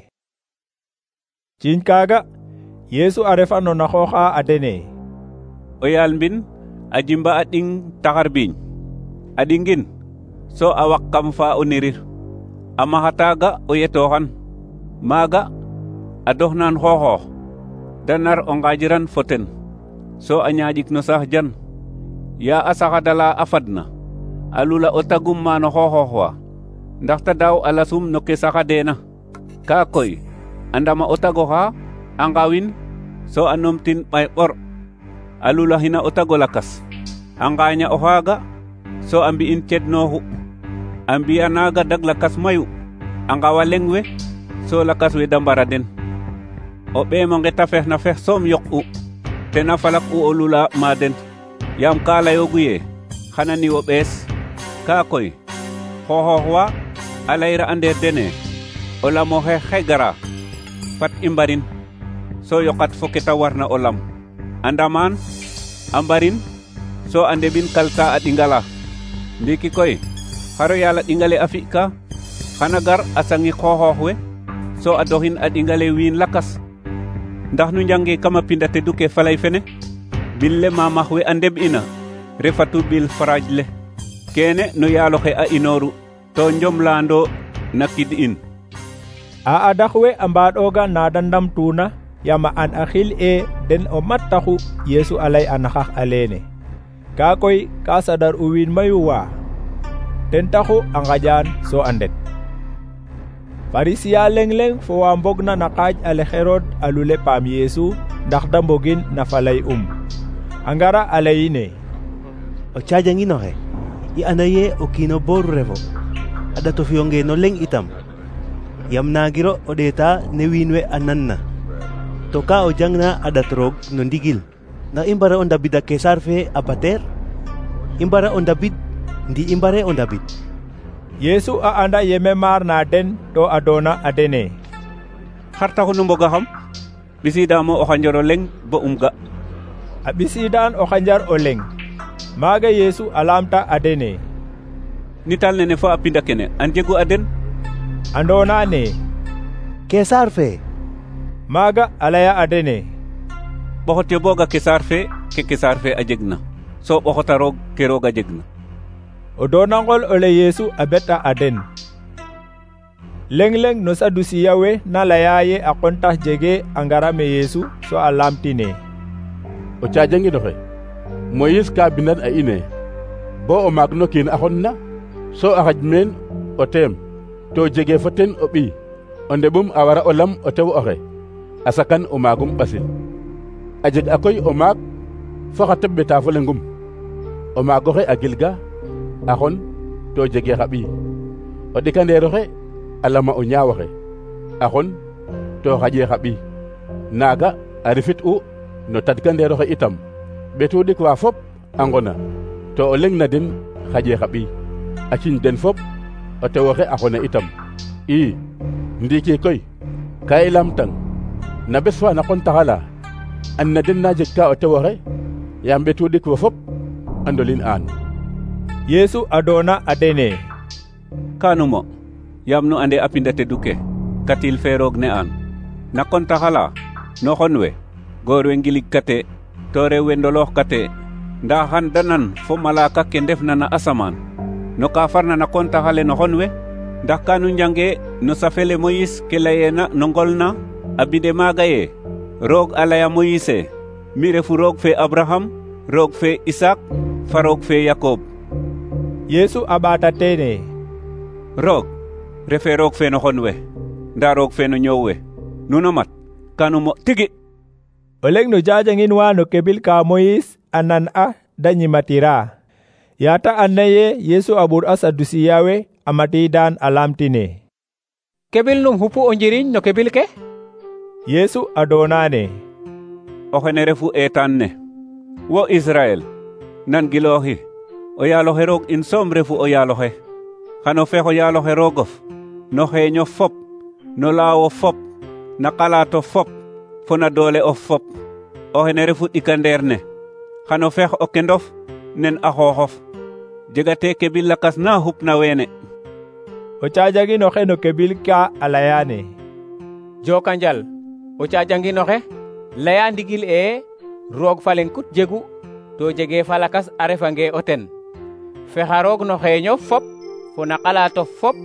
Ciiñ kaaga Yeesu a refa no na xooxa a dene: o yaal mbin a jimba a ɗing taxar biiñ a ɗingin so a waq kam fa o nirir a maxa taaga o yetooxan maaga a doxnaan xooxoox da nar o ngaajiran fo ten so a ñaaƴik no saax jan yaa a saxadala a fadna a lula o tagum maano xooxoox wa ndax ta daaw a lasum no ke saxadeena. kaa koy a ndama o tagoxa a ngawin so a numtin ɓay ɓor a lulaxina o tago lakas a ngaaña o xaaga so a mbi'in cednooxu a mbi'a naaga dag lakas mayu a ngawa leŋ we so lakas we da mbara den. o ɓeemonge ta fex na fex soom yoq'u tena falak u o lula ma den yaam ka layoogu ye xana ni o ɓees. kaa koy xooxoox wa a layra a ndeer dene o lam oxe xe gara fat i mbarin so yoqat fo ke ta warna o lam a ndamaan a mbarin so a ndeɓin kalta a ɗingala. ndiiki koy xaro yaal a ɗingale a fi'ka xana gar a sangi xooxoox we so a doxin a ɗingale wiin lakas. ndax nu njange kama pinda tedu ke falay fene bil le mamax we a ndeɓ'ina refatu bil faraaj le kene no yaaloxe a inooru to njomlaando na kid in. a adax we a mbaaɗooga na da ndamtuuna yaam a an a xil e den o mat taxu Yeesu a lay a naxax a leene. kaa koy ka saɗar u wiin mayu wa ten taxu a ngaƴaan so a ndet. Farisiya leŋ-leŋ fo wa mbogna na qaaj ale Herod a lule paam Yeesu ndax da mbogin na falay um a ngara a layine: o caajanginoxe i anda ye o kiino booru refo a ɗato fiyonge no leŋ itam yam naangiro o ɗeeta ne wiin we a nanna to ka o jangna a ɗat roog no ndigil. ndax i mbara o ndabid a Kesar fe a bateer i mbara o ndabid ndi i mbare o ndabid. Yeesu a anda yeme maar na den to a doona a dene: xar taxu nu mboga xam ɓisiidaamo o xanjar o leŋ bo um ga. a ɓisiidaan o xanjar o leŋ. maaga Yeesu a laamta a dene: nital nene fo a pinda kene an jegu a den? a ndoona ne: Kesar fe. maaga a laya a dene: ɓoxotyo booga Kesar fe ke Kesar fe a jegna so ɓoxota roog ke roog a jegna. o doonangol ole Yeesu a beta a den. leŋ-leŋ no Sadusiya we na laya ye a qontax jege a ngara me Yeesu so a laamtine: o caajanginoxe Moyis ka bindan a ine bo o maag no kiin a xonna so a xaj meen o teem to jege fo ten o ɓiy o ndeɓum a wara o lam o tew oxe a sakan o maagum ɓasil. a jeg a koy o maag fo xa teɓ ɓeta fo leŋum o maagoxe a gilga a xon to jege xa ɓiy o ɗikandeeroxe a lama o ñaawoxe a xon to xaƴe xa ɓiy. naaga a rifit u no tadkandeeroxe itam ɓetu ɗik wa fop a ngona to o leŋ na den xaƴe xa ɓiy a ciñ den fop o tewoxe a xona itam. i ndiiki koy ka i lamtang na bes fa na qontaxala an na den na jeg ka o tewoxe yaam ɓetu ɗik wo fop a ndolin aan. Yeesu a doona a dene: kanumo yaam nu ande a pinda tedu ke katil fe roog ne aan na qontaxala no xon we goor we ngilig kate to rew we ndoloox kate nda xan da nan fo malaka ke ndefna na asamaan no ka farna na qontaxale no xon we ndax kanu njange no safele Moyis ke layeena no ngol na a binde maaga ye roog a laya Moyise mi refu roog fe Abraham roog fe Isak fa roog fe Yakob. Yeesu a ɓaata teene: roog refe roog fe no xon we nda roog fe no ñoow we nuno mat kanu mo tigi. o leŋ no jajangin wa no kebil ka Moyis a nan a da ñimatira yata anna ye Yesu a ɓur a Sadusiya we a matidan a lamtine. Kebil num hupu o njiriñ no kebil ke? Yesu a donane, o xene refu etan ne, wo Israel, nan gilooxi, o yaaloxe roog in soom refu o yaaloxe. Xano fex o yaaloxe roogof, no xeeño fop, no laawo fop, na qalaato fop, fo na doole of fop. O xene refu ɗikandeer ne, xano fex o kendof nen a xooxof. Jegate kebil lakas na xupna weene. O caajanginoxe no kebil ka a layane, Jokanjal, o caajanginoxe laya ndigil e roog fa leŋ kut jegu to jege fa lakas a refange o ten. Fexa roog no xeeñof fop, fo na qalatof fop,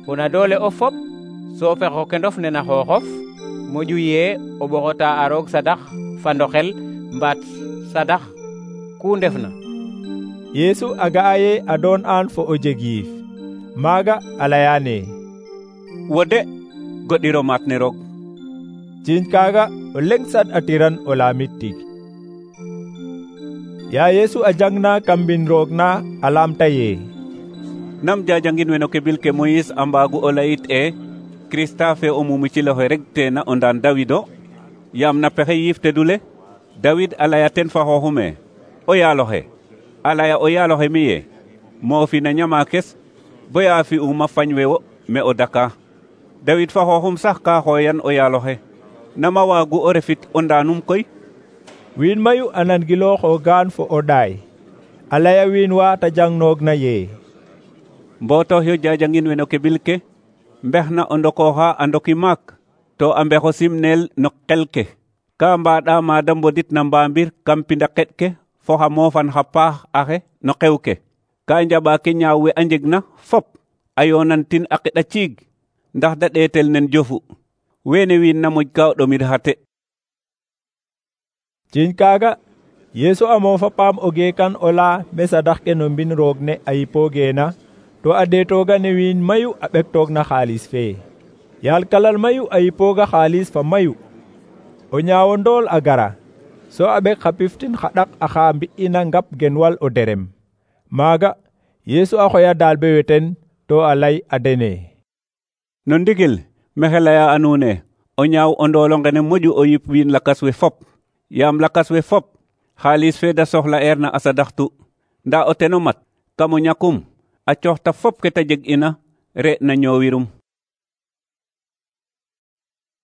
fo na doole of fop, so fex o kendof nena xooxof, moƴu ye o ɓoxota a roog sadax fa ndoxel mbaat sadax ku ndefna. Yesu a ga'a ye a doon an fo o jeg yiif, maaga a layane, wo de goɗiro maat ne roog. Ciiñ kaaga o leŋ sad a tiran o laamit tig. Ya Yesu a jangna kam mbin roog na a laamta ye, nam jajangin we no kebil ke Moyis a mbaagu o layit e Krista fe o mumu ci loxe rek teena o ndaan Dawido, yaam na pexe yiif tedule Dawid a laya ten fa xooxume, o yaaloxe a laya o yaaloxe mi ye moofina ñamaakes boya fi'uma fañ we wo me o daka. Dawid fa xooxum sax ka xooyan o yaaloxe, nama waagu o refit o ndaanum koy? Wiin mayu a nangilooxo gaan fo o ɗaay, a laya wiin wa ta jangnoog na ye, mbootox yo jajangin we no kebil ke mbex na o ndokooxa a ndoki maak, to a mbexo simneel no qel ke, ka mbaɗa maada mbodit na mbaambir kam pinda qeɗ ke fo xa moofan xa paax axe no xew ke, ka njaɓa ke ñaaw we a njegna fop a yoonantin a qeɗa ciig, ndax da ɗeetel nen jofu. Weene wiin na moƴ ka o ɗomir xate. Ciiñ kaaga Yesu a moofa paam o geekan o laa me sadax ke no mbin roog ne a yipoogeena, to a deetooga ne wiin mayu a ɓektoog na xaalis fee. Yaal kalal mayu a yipooga xaalis fa mayu. O ñaawo ndool a gara, so a ɓek xa piftin xa ɗak axa mbi'ina ngap genwal o derem. Maaga Yesu a xoya daalbe we ten to a lay a dene, no ndigil mexe laya a nuune o ñaaw o ndoolo ngene moƴu o yip wiin lakas we fop, yaam lakas we fop xaalis fe da soxla eer na a sadaxtu, nda o teno mat kam o ñakum a cooxta fop ke ta jeg ina re na ñoowirum.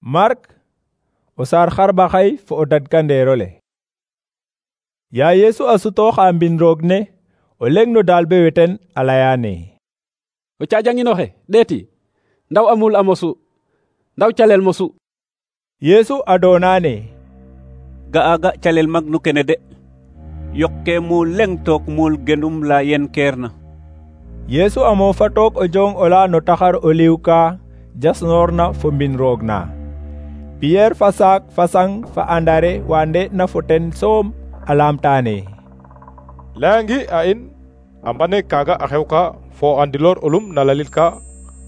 Mark o saar xarɓaxay fo o dadkandeerole. Ya Yesu a sutooxa mbin roog ne o leŋ no daalbe we ten a layane, o caajanginoxe ɗeeti, ndaw a muul a mosu, ndaw calel mosu. Yesu a doonane, ga'a ga calel magnu kene de, yokke muul leŋ took muul genum la yen keerna. Yesu a moofa took o jong ola no taxar o liw ka jasnoorna fo mbin roog na. Pierre fa saak fa sang fa andare wa nde'na fo ten soom a laamtaane, layangi a in a mbane kaaga a xew ka fo andiloor olum na lalil ka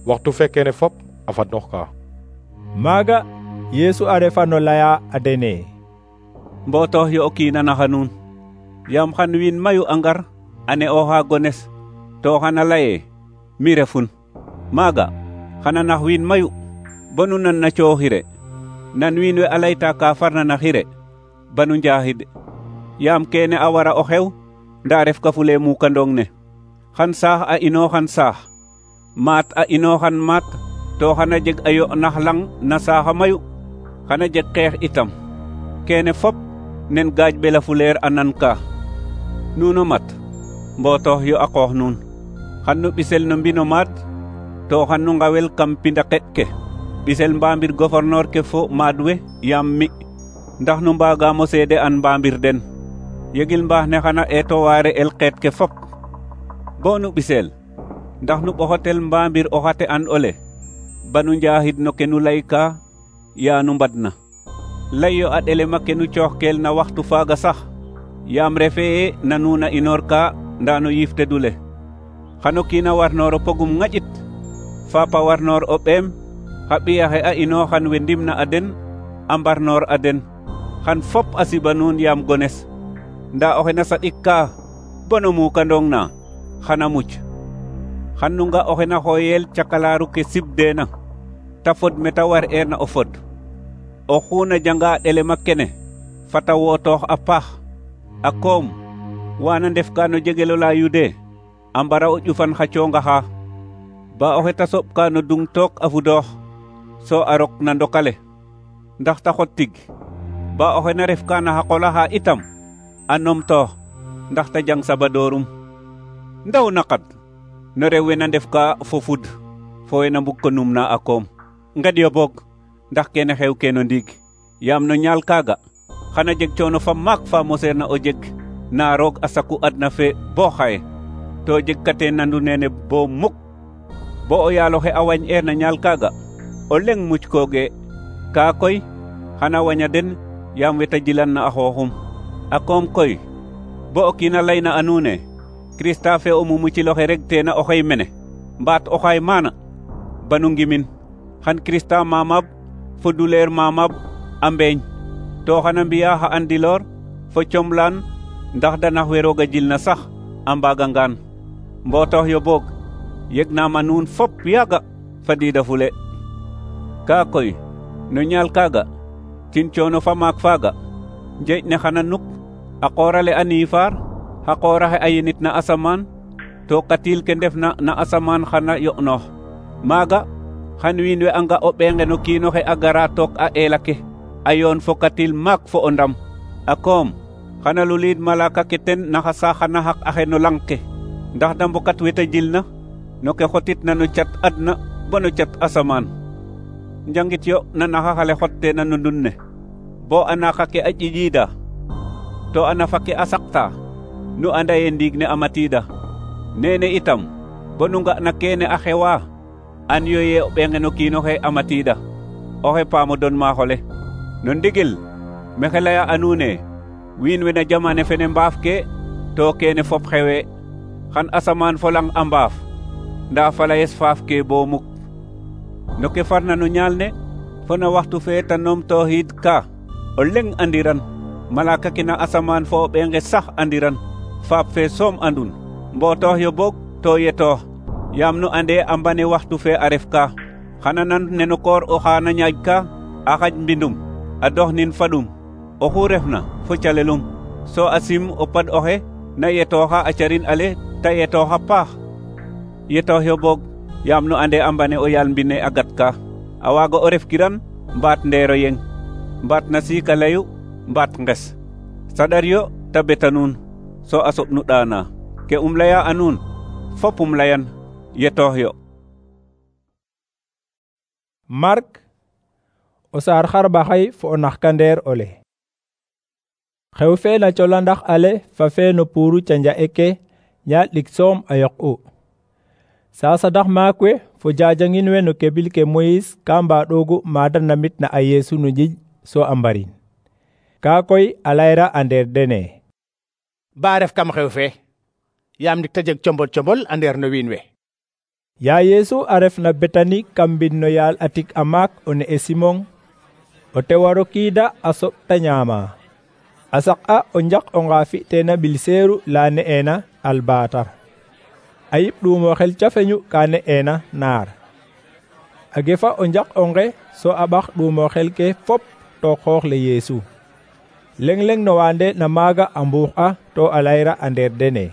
waxtu fekkene fop a fadnoox ka. Maaga Yesu a refa no laya a dene, mbootox yo o kiina naxa nuun, yaam xan wiin mayu a ngar a ne'ooxa gones, to xana laye mi refun. Maaga xana nax wiin mayu bonu nan na cooxire, nan wiin we a layta ka farna na xire banu njaxid, yaam kene a wara o xew nda ref ka fule mukandong ne. Xan saax a inooxan saax, maat a inooxan maat, to xana jeg a yo nax lang na saaxa mayu, xana jeg xeex itam. Kene fop nen gaaj bela fuleer a nan ka. Nuno mat mbootox yo a qoox nuun, xan nu ɓisel no mbino maat, to xan nu ngawel kam pinda qeɗ ke, ɓisel mbaambir gouverneur ke fo maad we yaam mi, ndax nu mbaagaamo seede an mbaambir den. Yegil mbaax ne xana eeto waare el qeet ke fop. Bo nu ɓisel ndax nu ɓoxotel mbaambir o xate an ole, banu njaxid no ke nu layka yaa nu mbadna. Lay yo a ɗelema ke nu cooxkel na waxtu faaga sax, yaam refee na nuuna inoor ka nda no yiifte dule. Xano kiina warnoor o pogum ŋaƴit, faapa warnoor o ɓeem, xa ɓiyaxe a inooxan we ndimna a den a mbarnoor a den, xan fop a siɓa nuun yaam gones. nda oxe na saɗik ka bono mukandong na xana muc. xan nu nga oxe na xooyel cakalaaru ke sibdeena ta fod meta war eerna o fod. oxu na janga ɗelema kene fata wootoox a paax. a koom wana ndef ka no jegelo la Yude a mbara o ƴufan xa coonga xa ba oxe ta soɓ ka no dung took a fudoox so a rok na ndokale ndax ta xot tig ba oxe na ref ka na xa qola xa itam a numtoox ndax ta jang sabadoorum. ndaw naqad no rew we na ndef ka fo fud fo we na mbug ko numna a koom. ngeɗyo boog ndax kene xew ke no ndiig yaam no ñaal kaaga xana jeg coono fa maak fa moseerna o jeg na roog a saku adna fe bo xaye to jeg kate nandu nene bo muk. bo o yaaloxe a wañ eer na ñaal kaaga o leng muc kooge kaa koy xana waña den yaam weta jilan na a xooxum. a koom koy bo o kiina layna a nuune Krista fe o mumuciloxe reg teena oxey mene mbaat oxaay maana banu ngimin xan Krista mamab fo duleer mamab a mbeeñ to xana mbiya xa andiloor fo comlaan ndax danax we roog a jilna sax a mbaagangaan. mbootox yo boog yeg naam a nuun fop yaaga fadiida fule. kaa koy no ñaal kaaga tin coono fa maak faaga njeeƴ ne xana nuk a qoorale a niifaar xa qooraxe a yenit na asamaan to katiil ke ndef na na asamaan xana yo'noox. maaga xan wiin we a nga o ɓeenge no kiinoxe a gara took a eela ke a yoon fo katiil maak fo o ndam. a koom xana luliid malaka ke ten naxa saaxana xaq axe no lang ke ndax da mbokat weta jilna no ke xotitna no cat adna bo no cat asamaan. njangit yo na naxaxale xotteena no ndun ne bo a naqa ke a ƴiƴiida to a nafa ke a saqta nu anda ye ndiig ne a matiida. nene itam bo nu nga na keene a xewa an yo ye o ɓeenge no kiinoxe a matiida oxe paamo don maaxole. no ndigil mexe laya a nuune wiin we na jamane fene mbaaf ke to keene fop xewe xan asamaan fo lang a mbaaf nda falayes faaf ke bo muk. no ke farna no ñaal ne fo na waxtu fe ta numtooxiid ka o leng andiran malaka ke na asamaan fo o ɓeenge sax andiran faap fe soom andun. mbootox yo boog to yetoox yaam nu ande a mbane waxtu fe a ref ka xana nan neno koor oxa na ñaaj ka a xaj mbindum a dox nin fadum oxu refna fo calelum so a sim o pad oxe na yetooxa a carin ale ta yetooxa paax. yetoox yo boog yaam nu ande a mbane o yaal mbine a gat ka a waaga o ref kiran mbaat ndeero yeng mbaat na siika layu mbaat nges saɗar yo ta beta nuun so a soɓ nu ɗaana ke um laya a nuun fop um layan yetoox yo. Mark o saar xarɓaxay fo o naxkandeer ole. xew fe na colandax ale fa fe no puuru canja eke ñaal ɗik soom a yoq'u. sasadax maak we fo jajangin we no kebil ke Moyis ka mbaɗoogu maada namit na a Yeesu no njiƴ so a mbarin. kaa koy a layra a ndeer dene ba ref kam xew fe yaam ndik ta jeg combol combol a ndeer no wiin we. yaa Yeesu a ref na Betani kam mbin no yaal a tik a maak o ne'e Simon o tewa rokiida a soɓ ta ñaama. a saq'a o njaq onga fi'teena ɓil seeru la ne'eena Albatar. a yip ɗuumoxel cafeñu ka ne'eena Naar. a gefa o njaq onge so a ɓax ɗuumoxel ke fop to xoox le Yeesu. leng leng no waande na maaga a mbuux a to a layra a ndeer dene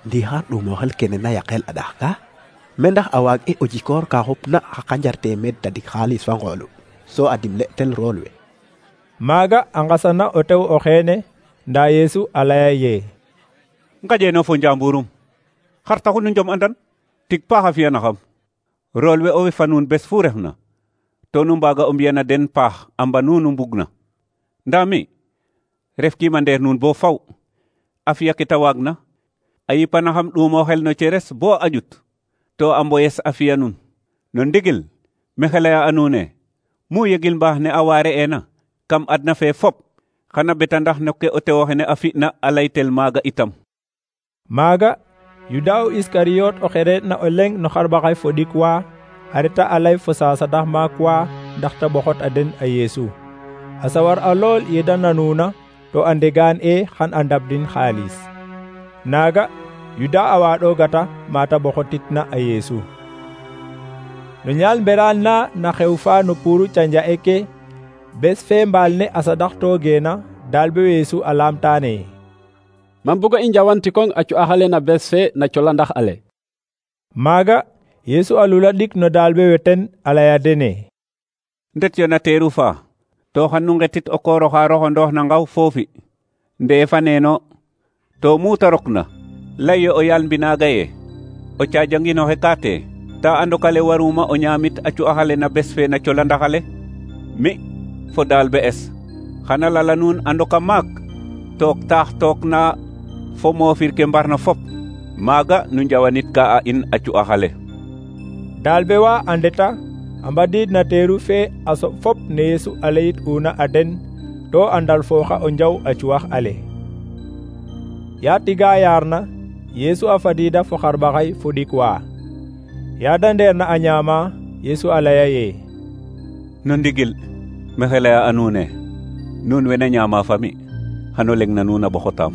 ndi xar ɗuumoxel kene na yaqel a ɗax ka me ndax a waag e o jikoor ka xupna xa qanjar teemeed tadik xaalis fa ngoolu so a dimle tel rool we. maaga a ngasana o tew o xeene nda Yeesu a laya ye ngajeeno fo njamburum xar taxu nu njom andan tig paax a fiyanaxam rool we o wefa nuun bes fu refna to nu mbaaga o mbiyana den paax a mba nuunu mbugna. ndaa mi ref kiima ndeer nuun bo faw a fiya ke ta waagna a yipanaxam ɗuumoxel no ceres bo a ƴut to a mboyes a fiya nuun. no ndigil mexe laya a nuune mu yegil mbaax ne a waare eena kam adna fe fop xana beta ndax no ke o tewoxene a fi'na a laytel maaga itam. maaga Yuda o Iskariyot o xe re'na o leng no xarɓaxay fo ɗik wa a reta a lay fo sasadax maak wa ndax ta ɓoxot a den a Yeesu. a sawar a lool ye da nanuuna to a ndegaan e xan a ndabdin xaalis. Naaga Yuda a waaɗoogata mata ɓoxotitna a Yeesu. No ñaal mberaan na na xew fa no puuru canja eke bes fe mbaal ne a sadaxtoogeena dalbe Yeesu a laamtaane. Man bugo i njawantikong a cu'axale na bes fe na colandax ale. Maaga Yeesu a lula ɗik no dalbe weten a laya dene. Ndet yo na teeru fa to xan nu ngetit o koor oxa roxondoox na ngaw foofi ndee fa neeno to mu ta rokna lay yo o yaal mbinaaga ye o caajanginoxe kaate ta andokale waruma o ñaamit a cu'axale na bes fe na colandaxale mi fo dalbe es xana lala nuun andoka maak took taax took na fo moofir ke mbarna fop maaga nu njawanit ka a in a cu'axale. Dalbe wa a ndeta a mbadiid na teeru fe a soɓ fop ne Yeesu a layit una a den to a ndalfooxa o njaw a cu'ax ale. Ya tiga yaarna Yeesu a fadiida fo xarɓaxay fo ɗik wa. Ya da ndeerna a ñaama Yeesu a laya ye no ndigil maxey laya a nuune nuun wena ñaama fami xano leng na nuun a ɓoxotaam.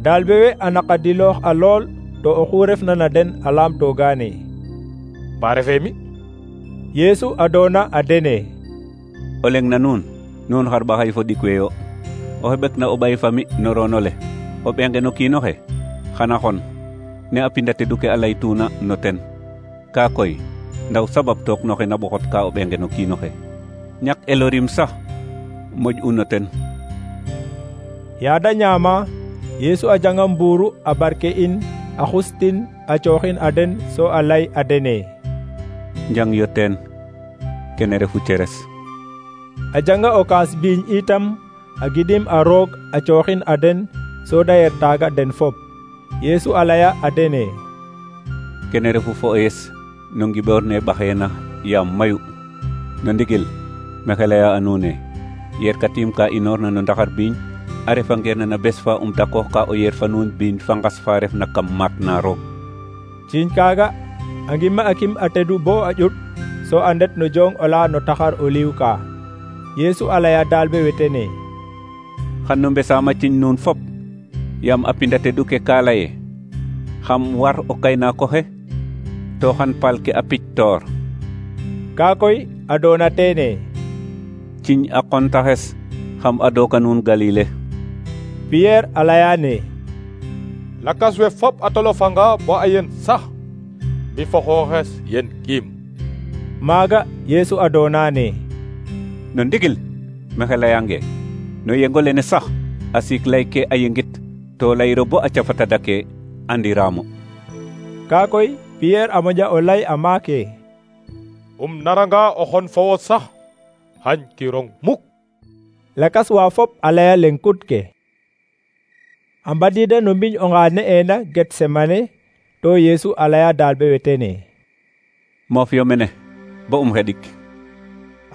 Dalbe we a naqadiloox a lool to oxu refna na den a laamtoogaane. Ba refee mi? Yeesu a doona a dene. O leng na nuun nuun xarɓaxay fo ɗik weyo o xeɓek na o ɓay fami no roono le o ɓenge no kiinoxe xana xon ne a pinda tedu ke a laytuuna no ten ka koy ndaw sabab took noxe na ɓoxot ka o ɓenge no kiinoxe ñak elorim sax moƴ u no ten. Yaada ñaama Yeesu a janga mbuuru a barke in a xustin a cooxin a den so a lay a dene. Njang yo teen kene refu ceres. A janga o kaas biiñ itam a gidim a roog a cooxin a den so da yer taaga den fop. Yeesu a laya a dene. Kene refu fo ees no ngiɓoor ne ɓaxeena yaam mayu no ndigil maxey laya a nuune yer katim ka inoorna no ndaxar biiñ a refangeerna na bes fa um dakoox ka o yer fa nuun biiñ fa ngas fa refna kam maat na roog. Ciiñ kaaga a ngima a kim a tedu bo a ƴut so a ndet no jong ola no taxar o liw ka. Yeesu a laya dalbe wetene. Xan no mbesaama ciiñ nuun fop yaam a pinda tedu ke ka laye xam war o kaynaakoxe to xan paal ke a pic toor. Kaa koy a doona teene. Ciiñ a qontaxes xam a dooka nuun Galile. Pierre a layaane. Lakas we fop a tolofanga bo a yen sax mi fo xooxes yen kiim. Maaga Yeesu a doonaane. No ndigil maxey layange no yengo lene sax a siik lay ke a yengit to layiro bo a cafata dake andiraamo. Kaa koy Pierre a moƴa o lay a maake. Um naranga o xon fo wo sax xañ kirong muk. Lakas wa fop a laya leŋkut ke. A mbadiida no mbiñ onga ne'eena Getsemane to Yeesu a laya dalbe wetene. Moof yo mene bo um xeɗik.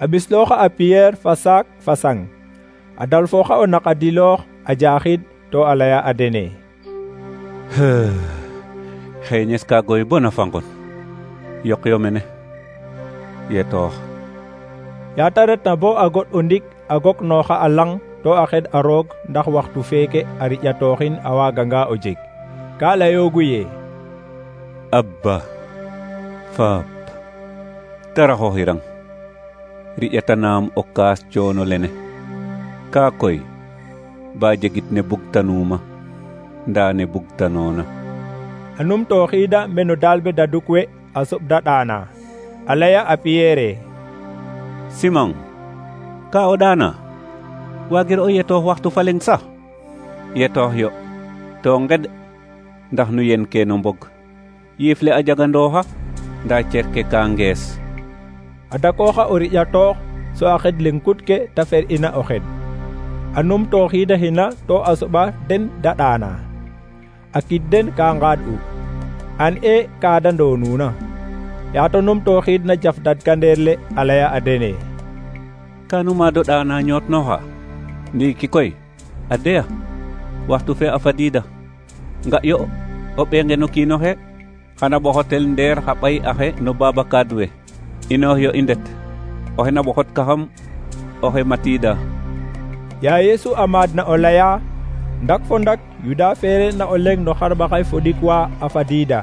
A ɓislooxa a Pierre fa saak fa saŋ a dalfooxa o naqadiloox a jaaxid to a laya a dene. Xeeñes ka goy bona fangon yoq yo mene yetoox. Yaata retna bo a goɗ o ndik a goknooxa a lang to a xed a roog ndax waxtu feeke a riƴatooxin a waaganga o jeg. Ka layoogu ye Abba Faap taraxooxirang riƴatanaam o kaas coono lene kaa koy ba jegit ne bugtanuuma ndaa ne bugtanoona. A numtooxiida meno dalbe daduk we a soɓda ɗaana a laya a Pierre. Simon ka o ɗaana waagir o yetoox waxtu fa leŋ sax yetoox yo to nged ndax nu yen ke no mbog yiif le a jagandooxa ndaa cer ke ka ngees. A dakooxa o riƴatoox so a xed leŋkut ke ta fer ina o xed a numtooxiidaxina to a soɓa den da ɗaana a kid den ka ngaad'u an e ka da ndoonuuna. Yaato numtooxiidna jaf dadkandeer le a laya a dene. Kanu maado ɗaana ñootnooxa ndiiki koy a deya waxtu fe a fadiida nga yo o ɓeenge no kiinoxe xana ɓoxotel ndeer xa ɓay axe no baaba kaad we inoox yo i ndet oxe na ɓoxot kaxam oxe matiida. ya Yesu a maad na o laya ndak fo ndak Yuda feere na o leng no xarɓaxay fo ɗik wa a fadiida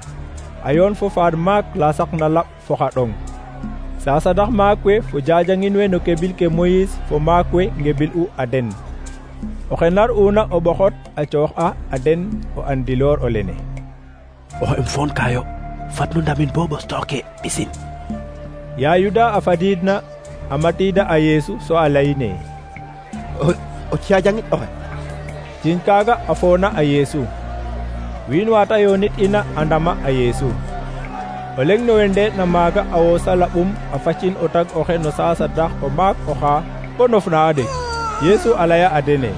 a yoon fo faad maak la saqna laɓ fo xa ɗong saa sadax maak we fo jajangin we no kebil ke Moyis fo maak we ngebil u a den oxe nar una o ɓoxot a coox a a den o andiloor o lene oxe um foon kayo fat nu ndamin bo ɓos tooke ɓisin ya Yuda a fadiid na a matiida a Yeesu so a layine o cajangin oxe ciñ kaaga a foona a Yeesu wiin waata yoonit ina a ndama a Yeesu o leng no we ndeeɗna maaga a woosa laɓum a facin o tag oxe no saasadax o maak oxa bo nofna a ɗeg Yeesu a laya a dene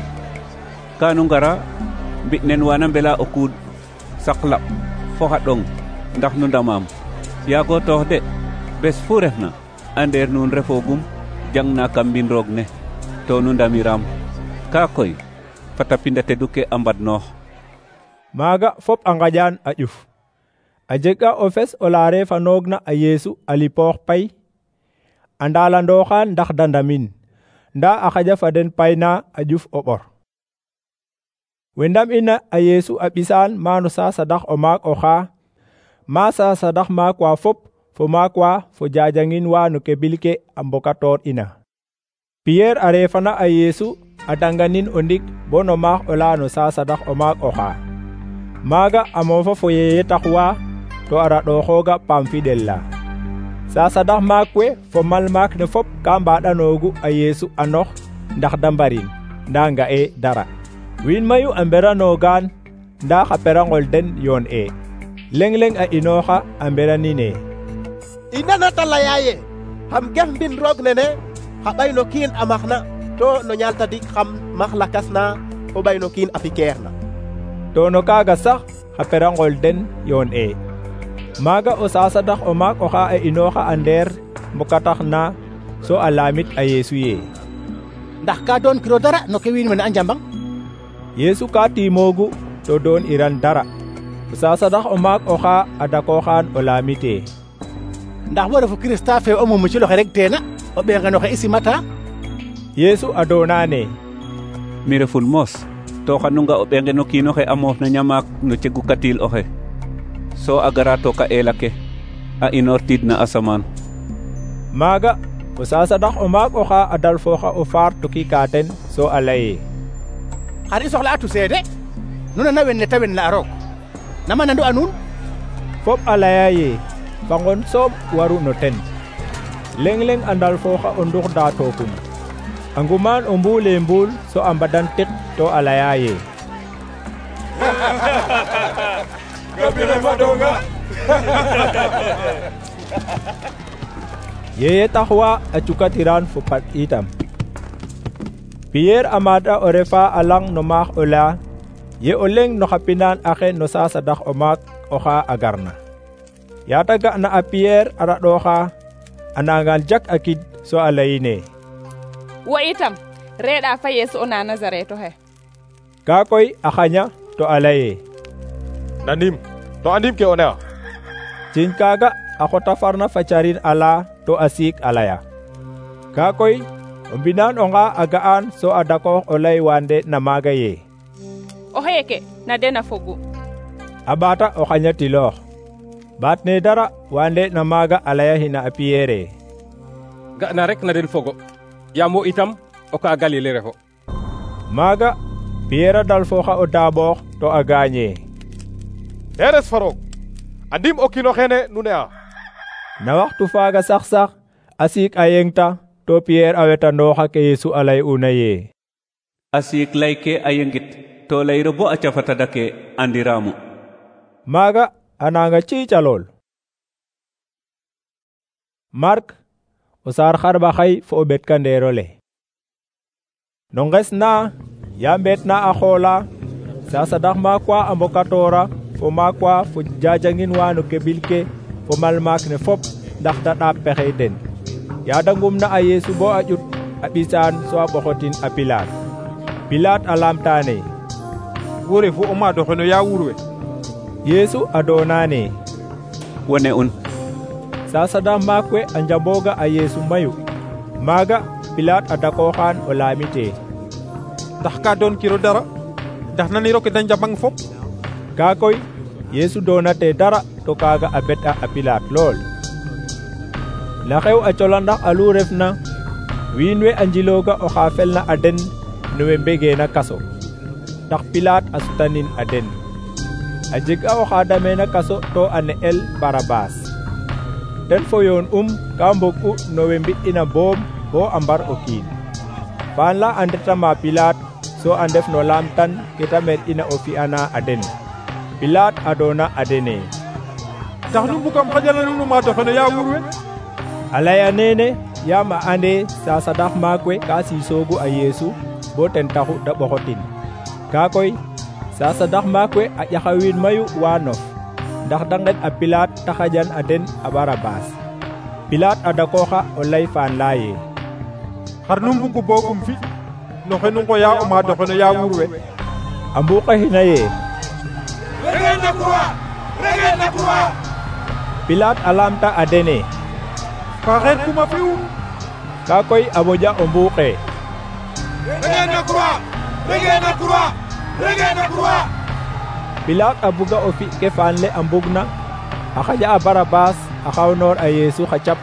kanu ngara mbi nen wana mbela o kuud sak laɓ fo xa ɗong ndax nu ndamaam yaago toox de bes fu refna andeer nuun refoogum jangna kam mbin roog ne to nu ndamiram kaa koy fata pinda tedu ke a mbadnoox maaga fop a ngaƴaan a ƴuf a jega o fes o laare fa noogna a Yeesu a lipoox pay a ndaalandooxaan ndax da ndamin ndaa a xaƴa fa den payna a ƴuf o ɓor we ndam ina a Yeesu a ɓisaan maano saasadax o maak oxa ma saasadax maak wa fop fo maak wa fo jajangin wa no kebil ke a mbokatoor ina Piyeer a reefana a Yeesu a danganin o ndik bo no maax o la no saasadax o maak oxa maaga a moofa fo yeye tax wa to a raɗooxooga paam fiɗel la saasadax maak we fo mal maak ne fop ka mbaɗanoogu a Yeesu a nox ndax da mbarin nda nga'e dara wiin mayu a mberanoogaan nda xa perangol den yoon e leng-leng a inooxa a mberanine i nanata laya ye xam gef mbin roog nene xa ɓay no kiin a maxna to no ñaaltadik xam max lakas na o ɓay no kiin a fikeer na to no kaaga sax xa perangol den yoon e maaga o saasadax o maak oxa a inooxa a ndeer mbokatax na so a laamit a Yeesu ye ndax ka doon kiro dara no ke wiin wene a njambang Yeesu ka tiimoogu to doon iran dara o saasadax o maak oxa a dakooxaan o laamite ndax wo refu Kirista fe o mumu ci loxe rek teena o ɓeengeno xe i simata Yeesu a doonaane mi reful moos to xanunga o ɓengeno kiinoxe a moof na ñamaak no cegu katil oxe so a gara toka eela ke a inoortiid na asamaan maaga o saasadax o maak oxa a dalfooxa o faar tokika den so a laye xar i soxla atu seede nu nana wen ne ta wen la a roog nama nandu a nuun fop a laya ye fa ngon soom waru no ten leng-leng a ndalfooxa o ndux daa tookum a ngumaan o mbuule mbuul so a mbadan tik to a laya ye gabine fadonga yeye tax wa a cukatiran fo pat itam Piyeer a maada o refa a lang no maax o la ye o leng no xa pinaan axe no saasadax o maak oxa a garna yaata ga'na a Piyeer a raɗooxa a nangan jak a kid so a layine wo itam reeɗa fa Yeesu o na Nazaret oxe ka koy a xaña to a laye nanim to andim ke o ne'a ciñ kaaga a xota farna fa carin ala to a siik a laya ka koy o mbinaan onga a ga'an so a dakoox o lay wande na maaga ye o xeeke na den a fogu a ɓaata o xañatiloox baat ne dara wande na maaga a layahina a Piyeere ga'na rek na den fogo yaam wo itam o ka Galile refo maaga Piyeer a dalfooxa o daaɓoox to a gaañe eres fa roog andim o kiino xene nu ne'a na waxtu faaga sax-sax a siik a yengta to Piyeer a wetanooxa ke Yeesu a lay'una ye a siik lay ke a yengit to layro bo a cafata dake andiraamu maaga a nanga ciicalool Mark o saar xarɓaxay fo o ɓetkandeerole no nges na ya mbeetna a xoola saasadax maak wa a mbokatoora fo maak wa fo jajangin wa no kebil ke fo mal maak ne fop ndax da ɗaap pexey den yaada ngumna a Yeesu bo a ƴut a ɓisaan so a ɓoxotin a Pilaat Pilaat a laamtaane wo refu o maad oxe no ya wuur we Yeesu a doonaane wone un saasadax maak we a njambooga a Yeesu mayu maaga Pilaat a dakooxaan o laamite tax ka doon kiro dara ndax naniro ke da njambang fop. Kaa koy Yeesu doonate dara to kaaga a bet'a a Pilaat lool. Na xew a cola ndax alu refna wiin we a njilooga oxa felna a den no we mbegeena kaso ndax Pilaat a sutanin a den. A jeg a oxa dameena kaso to a ne'el Barabaas. ten fo yoon um ka mbog'u no we mbi'ina boom bo a mbar o kiin. Paan la a ndetama Pilaat so a ndef no laamtan ke ta mer'ina o fi'ana a den. Pilaat a doona a dene tax nu mbugam xajala nuun o maad oxe ya wuur we. A laya neene yaam a ande sasadax maak we ka siisoogu a Yeesu bo ten taxu da ɓoxotin. Kaa koy sasadax maak we a ƴaxa wiin mayu waa nof ndax da nqed a Pilaat ta xajan a den a Barabaas. Pilaat a dakooxa o lay faan laye xar nu mbugu boogum fi no xe nu ngoya o maad oxe no ya wuur we. A mbuqaxina ye regel na croix regel na croix. Pilaat a laamta a dene ka xeer kuma fi'u. Kaa koy a moƴa o mbuuqe regel na croix regel na croix regel na croix. Pilaat a buga o fi ke faan le a mbugna a xaƴa a Barabaas a xawnoor a Yeesu xa cap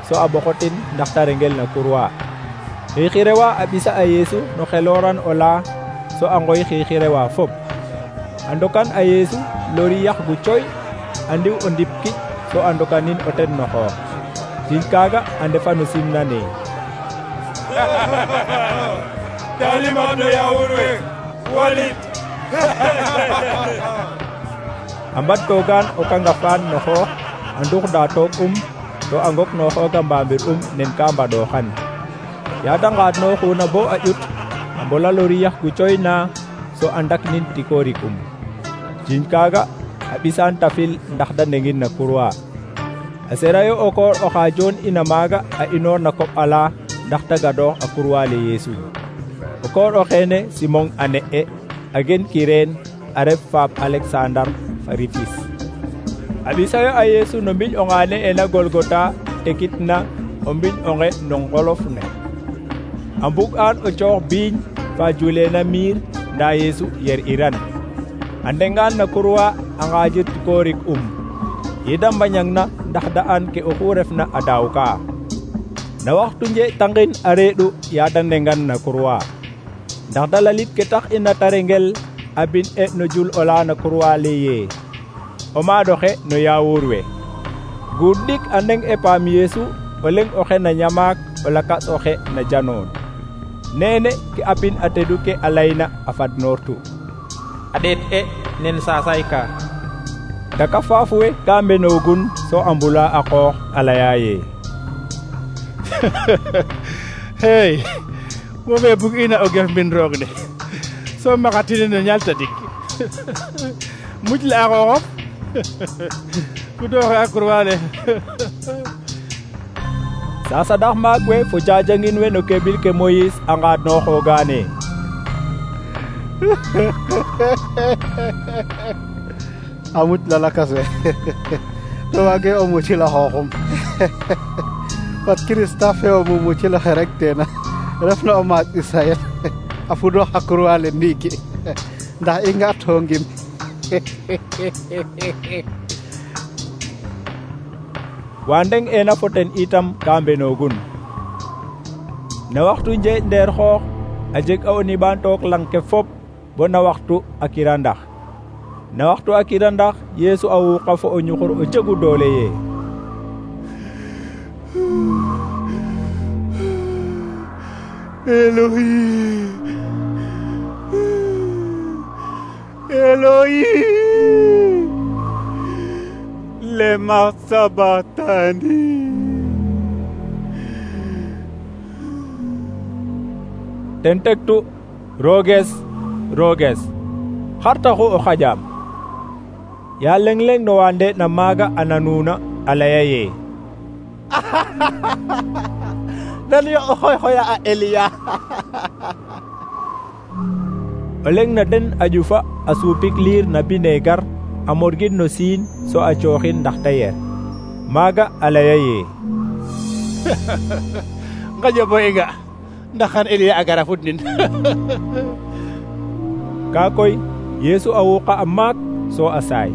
so a ɓoxotin ndax ta rengel na kurwa. Xiixirewa a ɓisa a Yeesu no xelooran o laa so a ngoy xiixirewa fop. A ndokan a Yeesu lori yax gu coy a ndiw o ndip kic so a ndokanin o ten no xoox. Jiñ kaaga a ndefa no simna ne Dalimaam no ya wuur we walit. A mbadtoogaan o kangafaan no xoox a nduxda toog um to a ngok no xooga mbaamir um nen ka mbadooxan. Ya da ngaadnooxuna bo a ƴut a mbola lori yax gu coy na so a ndaknin tikoorik um. Jiñ kaaga a ɓisaan tafil ndax da ndengin na kurwa. A serayo o koor oxa joon ina maaga a inoor na koɓ ala ndax ta gadoox a kurwa le Yeesu. O koor o xeene Simon a ne'e a gen Kireen a ref faap Aleksandar fa Rifis. A ɓisayo a Yeesu no mbiñ onga ne'ena Golgota tekitna o mbiñ onge no ngolof ne. A mbug'aan o coox biiñ fa juleena miir ndaa Yeesu yer iran. A ndengaan na kurwa a ngaajir tikoorik um. Yeda mbañangna ndax da an ke oxu refna a daaw ka. Na waxtu nje tangin a reeɗu yaada ndengan na kurwa. Ndax da lalit ke tax ina ta rengel a bin e no jul ola na kurwa le ye o maadoxe no ya wuur we. Guud ɗik a ndeng e paam Yeesu o leng oxe na ñamaak o lakas oxe na janoon. Neene ke a pin a tedu ke a layna a fadnoortu. A ɗeet e nen saasay ka. Daka faaf we ka mbenoogun so a mbula a qoox a laya ye hey wo fe bug ina o gef mbin roog ne so maxatine no ñal tadik muj le a xooxof ku dooxe a kurwa le. Sasadax maak we fo jajangin we no kebil ke Moyis a ngaadnooxoogaane a muc la lakas we to waage o mucil a xooxum fat Kirista fe o mu mucil oxe rek teena refna o maak Israel a fudoox a kurwa le ndiiki ndax i nga to ngim. Wa ndeng ena fo ten itam ka mbenoogun. Na waxtu njeeƴ ndeer xoox a jeg a o niɓaan took lang ke fop bo na waxtu a kirandax. Na waxtu a kirandax Yeesu a wuuqa fo o ñuxur o jegu doole ye Elohi Elohi lema sabatani. ten tektu rooges rooges xar taxu o xajaam. Ya leng leng no wa ndeeɗna maaga a nanuuna a laya ye nan yo o xoy xoya a Eliya. o leng na den a ƴufa a suupik liir na bineegar a morgin no siin so a cooxin ndax ta yer. Maaga a laya ye ngaƴo bo i nga ndax xan Eliya a gara fudnin. Ka koy Yeesu a wuqa a maak so a saay.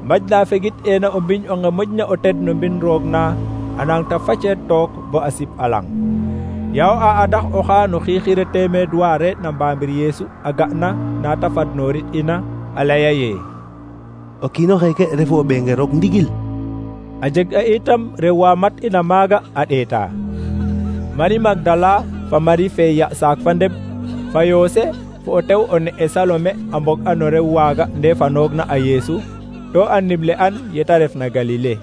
Maj la fegit ena o mbiñ onge moƴna o ted no mbin roog na a nang ta facet took bo a sip alang. Yaw a adax oxa no xiixire teemeed wa re'na mbamir Yeesu a ga'na na ta fadnorit ina a laya ye o kiino xeeke refu o ɓeenge roog ndigil. A jeg a itam rew wa mat ina maaga a ɗeeta. Mari Magdala fa Mari fe ya saak fa ndeb fa Yose fo o tew o ne'e Salome a mbog a no rew waaga ndefanoogna a Yeesu to a nimle an yeta refna Galile.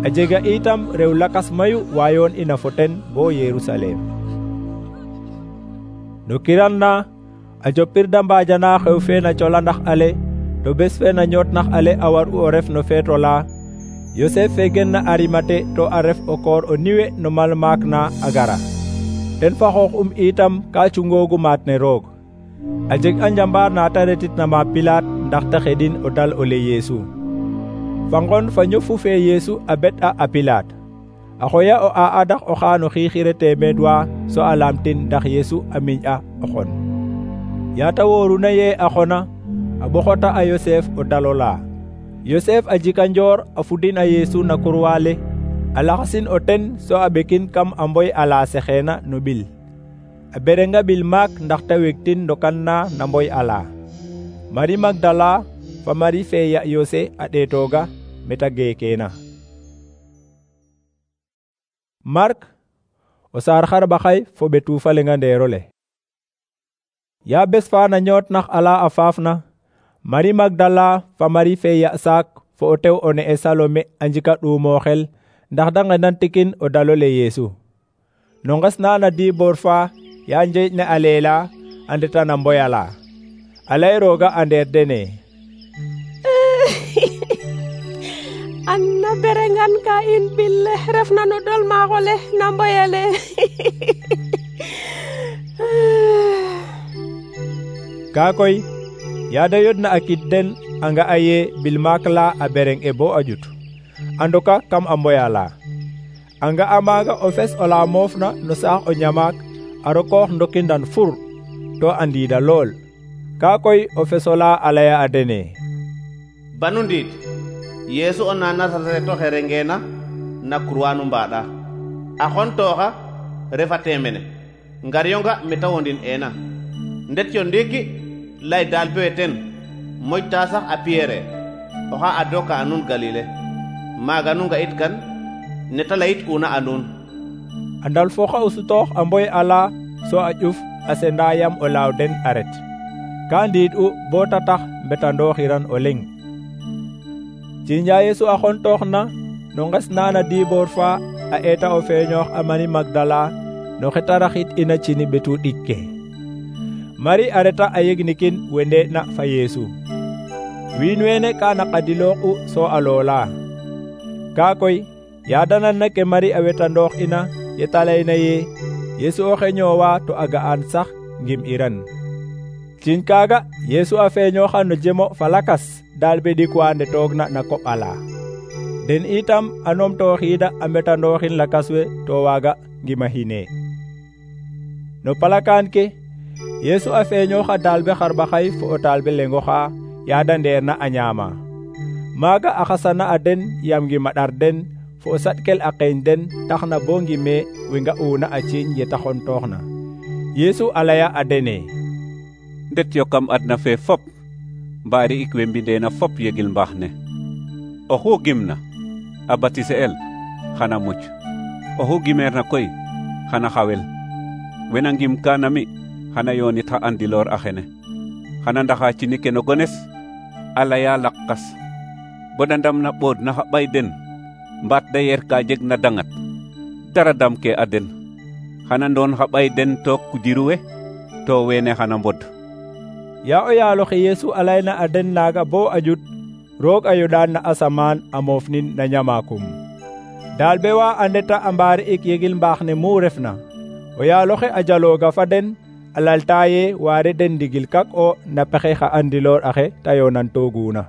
A jega itam rew lakas mayu wayoon ina fo ten bo Yerusalem. No kiran na a jopir da mbaajana xew fe na colandax ale to bes fe na ñootnax ale a war'u o ref no feeto la Yosef fe gen na Arimate to a ref o koor o niwe no malmaak na a gara. Ten fa xoox um itam ka cungoogu maat ne roog. A jeg a njambaar na ta retitna ma Pilaat ndax ta xedin o dal o le Yeesu. Fa ngon fa ñofu fe Yeesu a bet a a Pilaat. A xoya o a adax o xaano xiixire teemeed wa so a laamtin ndax Yeesu a miñ a o xon. Yaata wooruna ye a xona a ɓoxota a Yosef o dalola. Yosef a jika njoor a fudin a Yeesu na kurwaale a laxasin o ten so a ɓekin kam a mboy ala sexeena no ɓil. A berenga ɓil maak ndax ta wegtin ndokan na na mboy ala. Mari Magdala fa Mari fe ya Yose a ɗeetooga meta geekeena. Mark o saar xarɓaxay fo ɓetu fa lenga ndeerole. Ya bes fa na ñootnax ala a faafna Mari Magdala fa Mari fe ya saak fo o tew o ne'e Salome a njika ɗuumooxel ndax da ngenantikin o dalole Yeesu. No nges na na diboor fa ya njeeƴ ne a leela a ndeta na mboy ala. A lay rooga a ndeer dene an na berengan ka in bille refna no dol maaxole na mboyale. Ka koy yaada yodna a kid den a nga a ye bil maak la a bereng e bo a ƴut a ndoka kam a mboya la. A nga a maaga o fes o la moofna no saax o ñamaak a rokoox ndokindan fur to a ndiida lool. Ka koy o fesola a laya a dene banu ndiid Yeesu o na Nasaret oxe rengeena na kurwa nu mbaɗa a xontooxa refate mene ngaryonga meta wondin eena ndet yo ndiiki lay daal bewe ten moƴta sax a Pierre oxa adoka a nuun Galile maaga nu nga'it kan neta layit una a nuun. A ndal fo xa o sutoox a mboy ala so a ƴuf a senda yam o laaw den a ret. Ka ndiid u bo ta tax mbetandooxiran o leŋ. Ciiña Yeesu a xontooxna no nges na na diboor fa a eeta o feeñoox a Mari Magdala no xeta raxit ina cini ɓetu ɗik ke. Mari a reta a yegnikin we ndee'na fa Yeesu. Wiin weene ka naqadilooxu so a loola. Ka koy yaadananna ke Mari a wetandoox ina yeta layna ye Yeesu oxe ñoowa to a ga'an sax ngim iran. Ciiñ kaaga Yeesu a feeñooxa no jemo fa lakas daal be ɗik wa ndetoogna na koɓ ala. Den itam a numtooxiida a mbetandooxin lakas we to waaga ngimahine. No palakaan ke Yeesu a feeñooxa daalbe xarɓaxay fo o taalbe lengoxa yaada ndeerna a ñaama. Maaga a xasana a den yam ngima ɗar den fo o saɗkel a qeeñ den taxna bo ngime we nga'uuna a ciiñ yeta xontooxna. Yeesu a laya a dene ndet yo kam adna fe fop mbaari ik we mbindeena fop yegil mbaax ne. Oxu gimna a batise el xana muc, oxu gimeerna koy xana xawel. Wena ngim kana mi xana yoonit xa andiloor a xene, xana ndaxa cini ke no gones a laya laqas boda ndam na ɓood na xa ɓay den mbaat da yer ka jeg na dangat dara dam ke a den. Xana ndoon xa ɓay den took kujiru we to wene xana mbod. Ya o yaaloxe Yeesu a layna a den naaga bo a ƴut roog a yoɗaan na asamaan a moofnin na ñamaakum. Daalbe wa a ndeta a mbaari ik yegil mbaax ne mu refna. O yaaloxe a jalooga fa den a lalta ye waare den ndigil kak o na pexe xa andiloor axe ta yoonantooguuna.